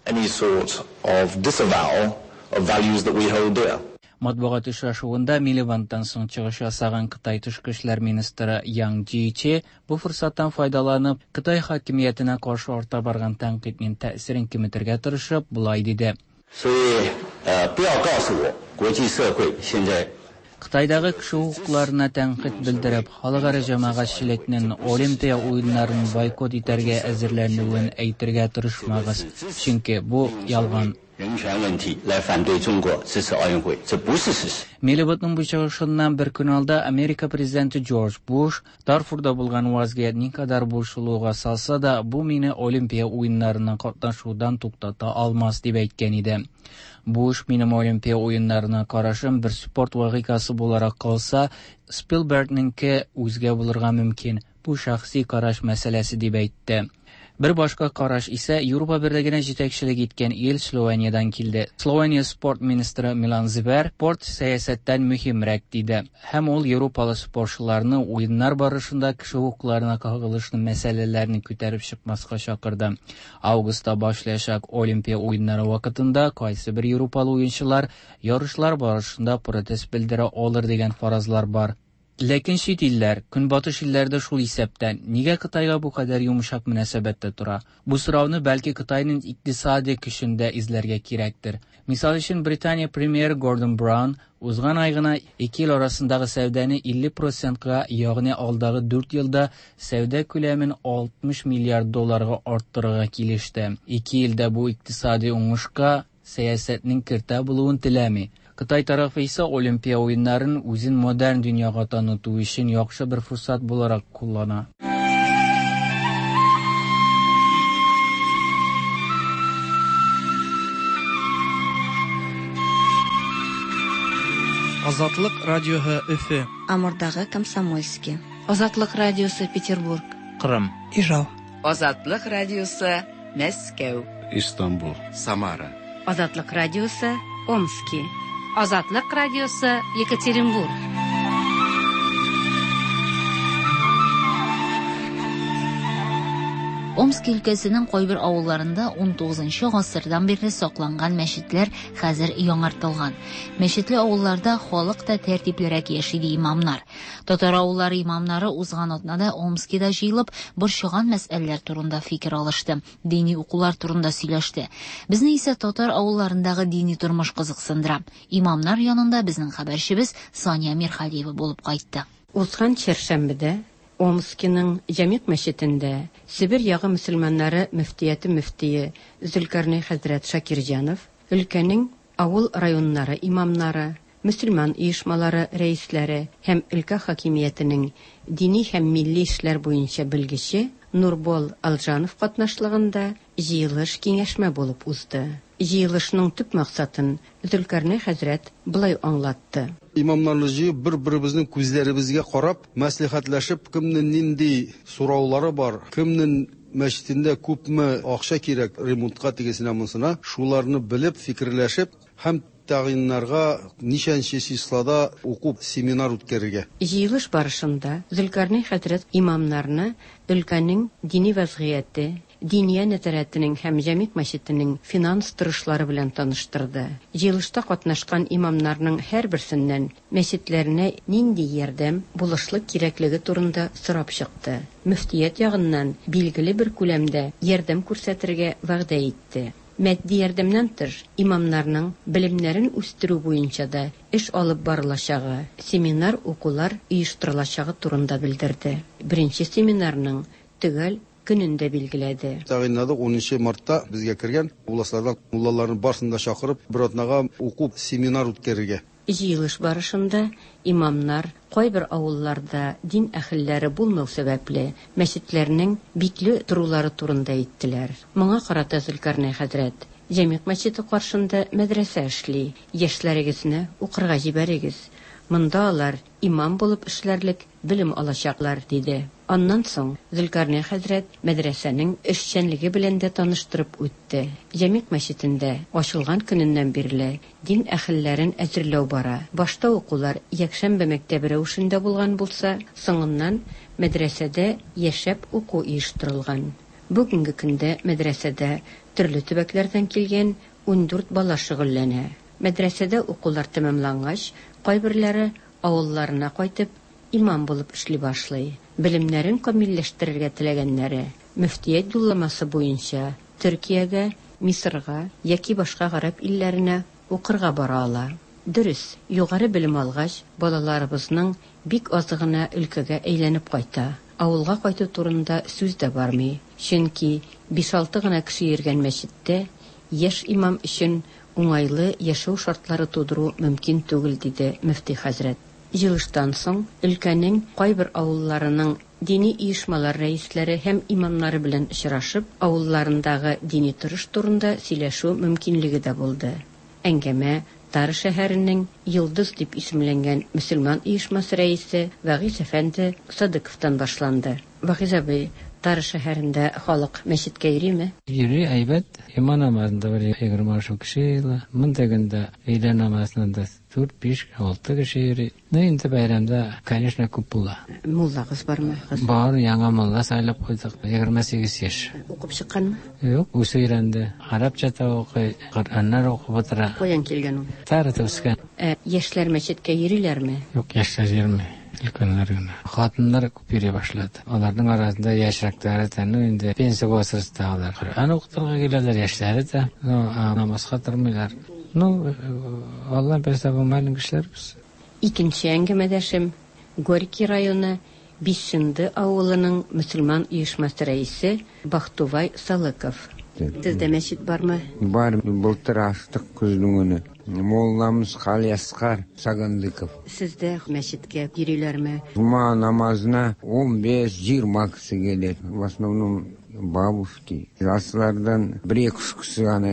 Any sort of disavowal of values that we hold dear. Матбугат очрашуында Милибандтан соң чыгыш ясаган Кытай тышкы эшләр министры Ян Джичи бу форсаттан файдаланып, Кытай хакимиятенә каршы арта барган тәнкыйтьнең тәэсирен киметергә тырышып, болай диде. Кытайдагы кеше хокукларына тәнкыйть белдереп, халыкара җәмәгатьчелекнең Олимпия уеннарын бойкот итәргә әзерләнүен әйтергә тырышмагыз, чөнки бу ялган. Милибандның бу чыгышыннан бер көн алда Америка президенты Джордж Буш Дарфурда булган вазгыять никадәр борчылуга салса да, бу мине Олимпия уеннарына катнашудан туктата алмас дип әйткән иде. Буш минем Олимпия уеннарына карашым бер спорт вакыйгасы буларак калса, Спилбергнеңке үзгә булырга мөмкин. Бу шәхси караш мәсьәләсе дип әйтте. Бер башка караш исә Европа берлегенә җитәкчелек иткән ил Словениядән килде. Словения спорт министры Милан Зибер спорт сәясәттән мөһимрәк диде. Һәм ул европалы спортчыларны уеннар барышында кеше хокукларына кагылышлы мәсьәләләрне күтәреп чыкмаска чакырды. Августта башлаячак Олимпия уеннары вакытында кайсы бер европалы уенчылар ярышлар барышында протест белдерә алыр дигән фаразлар бар. Ләкин чит илләр, көнбатыш илләрдә шул исәптән, нигә Кытайга бу кадәр йомшак мөнәсәбәттә тора? Бу сорауны бәлки Кытайның икътисади көчен дә эзләргә кирәктер. Мисал өчен, Британия премьеры Гордон Браун узган ай гына ике ил арасындагы сәүдәне илле процентка, ягъни алдагы дүрт елда сәүдә күләмен алтмыш миллиард долларга арттырырга килеште. Ике илдә бу икътисади уңышка сәясәтнең кертә булуын теләми. Кытай тарафы исә Олимпия уеннарын үзен модерн дөньяга таныту өчен яхшы бер форсат буларак куллана. Азатлык радиоһы Өфө. Амурдагы Комсомольский. Азатлык радиосы Петербург. Кырым. Ижау. Азатлык радиосы Мәскәү. Истанбул. Самара. Азатлык радиосы Омски. Азатлык радиосы Екатеринбург. Омск өлкәсенең кайбер авылларында ун тугызынчы гасырдан бирле сакланган мәчетләр хәзер яңартылган. Мәчетле авылларда халык та тәртиплерәк яши ди имамнар. Татар авыллары имамнары узган атнада Омскида җыелып, борчыган мәсьәләләр турында фикер алышты, дини укулар турында сөйләште. Безне исә татар авылларындагы дини тормыш кызыксындыра. Имамнар янында безнең хәбәрчебез Сания Мирхалиева булып кайтты. Узган чәршәмбедә Омскиның Җәмигъ мәчетендә Себер ягы мөселманнары мөфтияте мөфтие Зөлкәрнәй хәзрәт Шакирҗанов, өлкәнең авыл районнары имамнары, мөселман оешмалары рәисләре һәм өлкә хакимиятенең дини һәм милли эшләр буенча белгече Нурбол Алжанов катнашлыгында җыелыш киңәшмә булып узды. Җыелышның төп максатын Зөлкәрнәй хәзрәт болай аңлатты. Имамнарны җыеп, бер-беребезнең күзләребезгә карап, мәслихәтләшеп, кемнең нинди сораулары бар, кемнең мәчетендә күпме акча кирәк ремонтка тигесенә монсына, шуларны белеп, фикерләшеп һәм тәгъйиннарга ничәнче числода уку семинар үткәрергә. Җыелыш барышында Зөлкәрнәй хәзрәт имамнарны өлкәнең дини вазгыяте, Диния нәзарәтенең һәм Җәмигъ мәчетенең финанс торышлары белән таныштырды. Җыелышта катнашкан имамнарның һәрберсеннән мәчетләренә нинди ярдәм, булышлык кирәклеге турында сорап чыкты. Мөфтият ягыннан билгеле бер күләмдә ярдәм күрсәтергә вәгъдә итте. Матди ярдәмнән тыш, имамнарның белемнәрен үстерү буенча да эш алып барылачагы, семинар укулар оештырылачагы турында белдерде. Беренче семинарның төгәл көнен дә билгеләде. Тәгъйинләдек унынчы мартта безгә кергән областлардан муллаларны барысын да чакырып, бер атнага уку семинар үткәрергә. Җыелыш барышында имамнар кайбер авылларда дин әһелләре булмау сәбәпле мәчетләрнең бикле торулары турында әйттеләр. Моңа карата Зөлкәрнәй хәзрәт: Җәмигъ мәчете каршында мәдрәсә эшли, яшьләрегезне укырга җибәрегез. Монда алар имам булып эшләрлек белем алачаклар, диде. Аннан соң Зөлкәрнәй хәзрәт мәдрәсәнең эшчәнлеге белән дә таныштырып үтте. Җәмигъ мәчетендә ачылган көненнән бирле дин әһелләрен әзерләү бара. Башта укулар якшәмбе мәктәбе рәвешендә булган булса, соңыннан мәдрәсәдә яшәп уку оештырылган. Бүгенге көндә мәдрәсәдә төрле төбәкләрдән килгән ундүрт бала шөгыльләнә. Мәдрәсәдә укулар тәмамлангач, кайберләре авылларына кайтып имам булып эшли башлый. Белемнәрен камилләштерергә теләгәннәре мөфтият юлламасы буенча Төркиягә, Мисырга яки башка гарәп илләренә укырга бара ала. Дөрес, югары белем алгач, балаларыбызның бик азы гына өлкәгә әйләнеп кайта. Авылга кайту турында сүз дә бармый. Чөнки биш-алты гына кеше йөргән мәчеттә яшь имам өчен уңайлы яшәү шартлары тудыру мөмкин түгел, диде мөфти хәзрәт. Җыелыштан соң өлкәнең кайбер авылларының дини оешмалар рәисләре һәм имамнары белән очрашып, авылларындагы дини торыш турында сөйләшү мөмкинлеге дә булды. Әңгәмә Тары шәһәренең Йолдыз дип исемләнгән мөселман оешмасы рәисе Вагиз әфәнде Садыковтан башланды. Вагиз абый, Тары шәһәрендә халык мәчеткә йөриме? Йөри, әйбәт. Иман намазында бер егерме алты кеше йыйыла. Монда көндә өйлә намазында дүрт, биш, алты кеше йөри. Ну, инде бәйрәмдә, конечно, күп була. Муллагыз бармы? Бар, яңа мулла сайлап куйдык. Егерме сигез яшь. Укып чыкканмы? Юк, үзе өйрәнде. Арабча да укый, Коръәннәр укып утыра. Каян килгән ул? Тарыда үскән. Ә яшьләр мәчеткә йөриләрме? Юк, яшьләр йөрми. Өлкәннәр генә. Хатыннар күп йөри башлады. Аларның арасында яшьрәкләре дә, ну инде пенсия возрастындагылар. Коръән укытырга киләләр, яшьләре дә, ну, намазга тормыйлар. Ну, Алла бирсә, бу мәлин кешеләр без. Икенче әңгәмәдәшем Горький районы Бишенде авылының мөселман оешмасы рәисе Бахтувай Салыков. Сездә мәчет бармы? Бар, былтыр ачтык көзнең көне. Молламыз Халиаскар Сагандыков. Сездә мәчеткә йөриләрме? Жума намазына он беш, жиырма кеше келет. В основном бабушки. Жастардан бер екі үш кеше ғана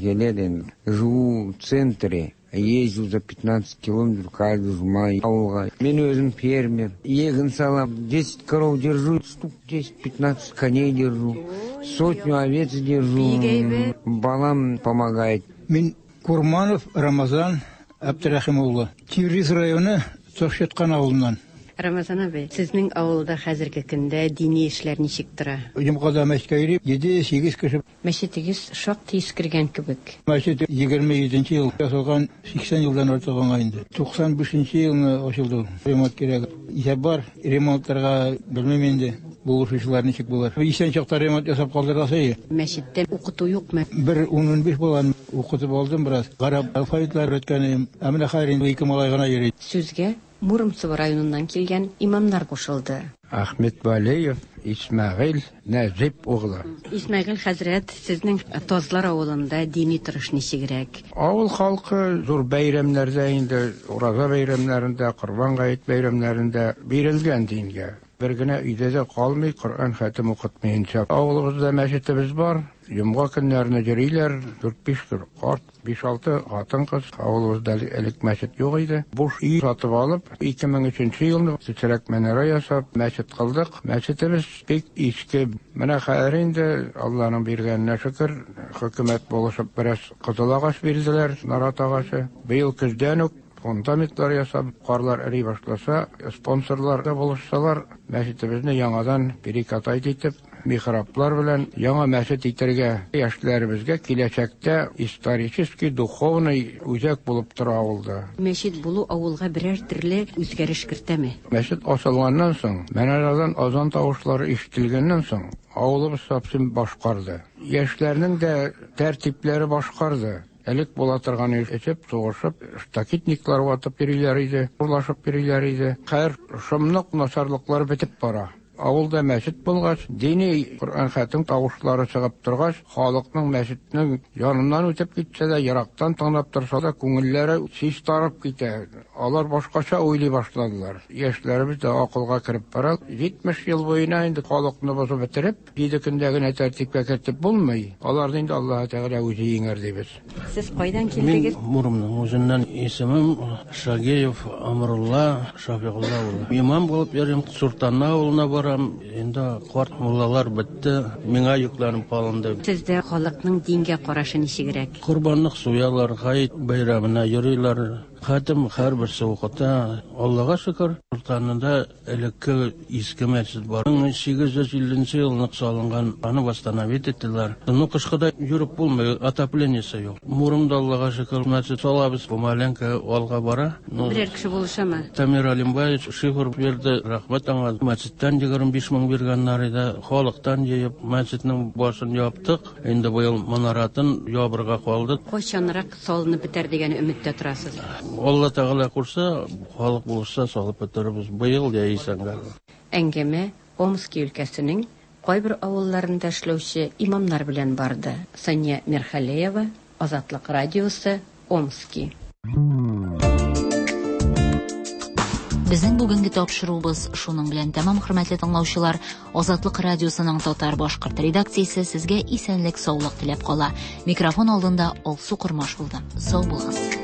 келеді енді. Живу в центре. Езжу за пятнадцать километров каждый жума ауылға. Мен өзім фермер. Егін салам, десять коров держу, штук десять-пятнадцать коней держу, сотню овец держу. Балам помогает. Мен Курманов Рамазан Абдрахим улы. Тевриз районы Тошеткан ауылынан. Рамазан абый, сезнең авылда хәзерге көндә дини эшләр ничек тора? Йомгада мәчеткә йөри, җиде, сигез кеше. Мәчетегез шактый искергән кебек. Мәчет егерме җиденче ел ясалган, сиксән елдан артык аңа инде. Туксан бишенче елны ачылды. Ремонт кирәк. Исәп бар, ремонтларга белмим инде. Булышучылар ничек булыр. Исән чакта ремонт ясап калдырасы. Мәчеттә укыту юкмы? Бер ун биш баланы укытып алдым бераз. Гарәп алфавитлар өйрәткән. Ә менә хәзер инде ике малай гына йөри. Сүзгә Муромцево районыннан килгән имамнар кушылды. Ахмед Валеев Исмәгыйль Нәҗип углы. Исмәгыйль хәзрәт, сезнең Тазлар авылында дини торыш ничегрәк? Авыл халкы зур бәйрәмнәрдә инде, ураза бәйрәмнәрендә, Корбан гает бәйрәмнәрендә бирелгән дингә. Бер генә өйдә дә калмый, Коръән хәтем укытмыйынча. Авылыбызда мәчетебез бар. Йомга көннәренә йөриләр, дүрт-биш карт, биш-алты хатын-кыз. Авылыбызда элек мәчет юк иде. Буш өй сатып алып, ике мең өченче елны кечерәк манара ясап, мәчет кылдык. Мәчетебез бик иске. Менә хәзер инде Алланың биргәненә шөкер, хөкүмәт булышып бераз кызыл агач бирделәр, нарат агачы. Быел көздән үк фундаментлар ясап, карлар эри башласа, спонсорлар да булышсалар, мәчетебезне яңадан перекатать итеп, михраблар белән яңа мәчет итәргә, яшьләребезгә киләчәктә исторический, духовный үзәк булып тора авылда. Мәчет булу авылга берәр төрле үзгәреш кертәме? Мәчет ачылганнан соң, манарадан азан тавышлары ишетелгәннән соң, авылыбыз совсем башкарды. Яшьләрнең дә тәртипләре башкарды. Элек була торган эчеп, сугышып, штакетниклар ватып йөриләр иде, урлашып йөриләр иде. Хәер, шомлык начарлыклар бетеп бара. Авылда мәчет булгач, дини Коръән хәтем тавышлары чыгып торгач, халыкның мәчетнең яныннан үтеп китсә дә, ерактан тыңлап торса да, күңелләре чистарып китә. Алар башкача уйлый башладылар. Яшьләребез дә акылга кереп бара. Җитмеш ел буена инде халыкны бозып бетереп, җиде көндә генә тәртипкә кертеп булмый. Аларны инде Аллаһ Тәгалә үзе җиңәр дибез. Сез кайдан килдегез? Мин Муромның үзеннән. Исемем Шагиев Амрулла Шафигулла улы. Имам булып йөрим, Суртанна авылына барам. торам. Инде карт муллалар бетте, миңа йөкләнеп калынды. Сездә халыкның дингә карашы ничегрәк? Корбанлык суялар, гает бәйрәменә йөриләр. Хатым һәрберсе укыта. Аллага шөкер, Кортанында элекке иске мәчет бар. мең сигез йөз илленче елны салынган, аны восстановить иттеләр. Ну, кышкыда йөреп булмый, отоплениесе юк. Мурымда Аллага шөкер, мәчет салабыз, помаленько алга бара. Ну, Берәр кеше булышамы? Тамир Алимбаевич шифр бирде, рәхмәт аңа. Мәчеттән егерме биш мең биргәннәр иде. Халыктан җыеп, мәчетнең башын яптык. Инде быел манаратын ябырга калды. Кайчанрак салынып бетәр дигән өметтә торасыз? Алла Тәгалә кушса, халык булышса салып бетерербез. Быел яисәнгә. Әңгәмә Омски өлкәсенең кайбер авылларында эшләүче имамнар белән барды. Сания Мирхалеева, Азатлык радиосы, Омски. Безнең бүгенге тапшыруыбыз шуның белән тәмам, хөрмәтле тыңлаучылар. Азатлык радиосының татар-башкорт редакциясе сезгә исәнлек, саулык теләп кала. Микрофон алдында Алсу Кормаш булды. Сау булыгыз.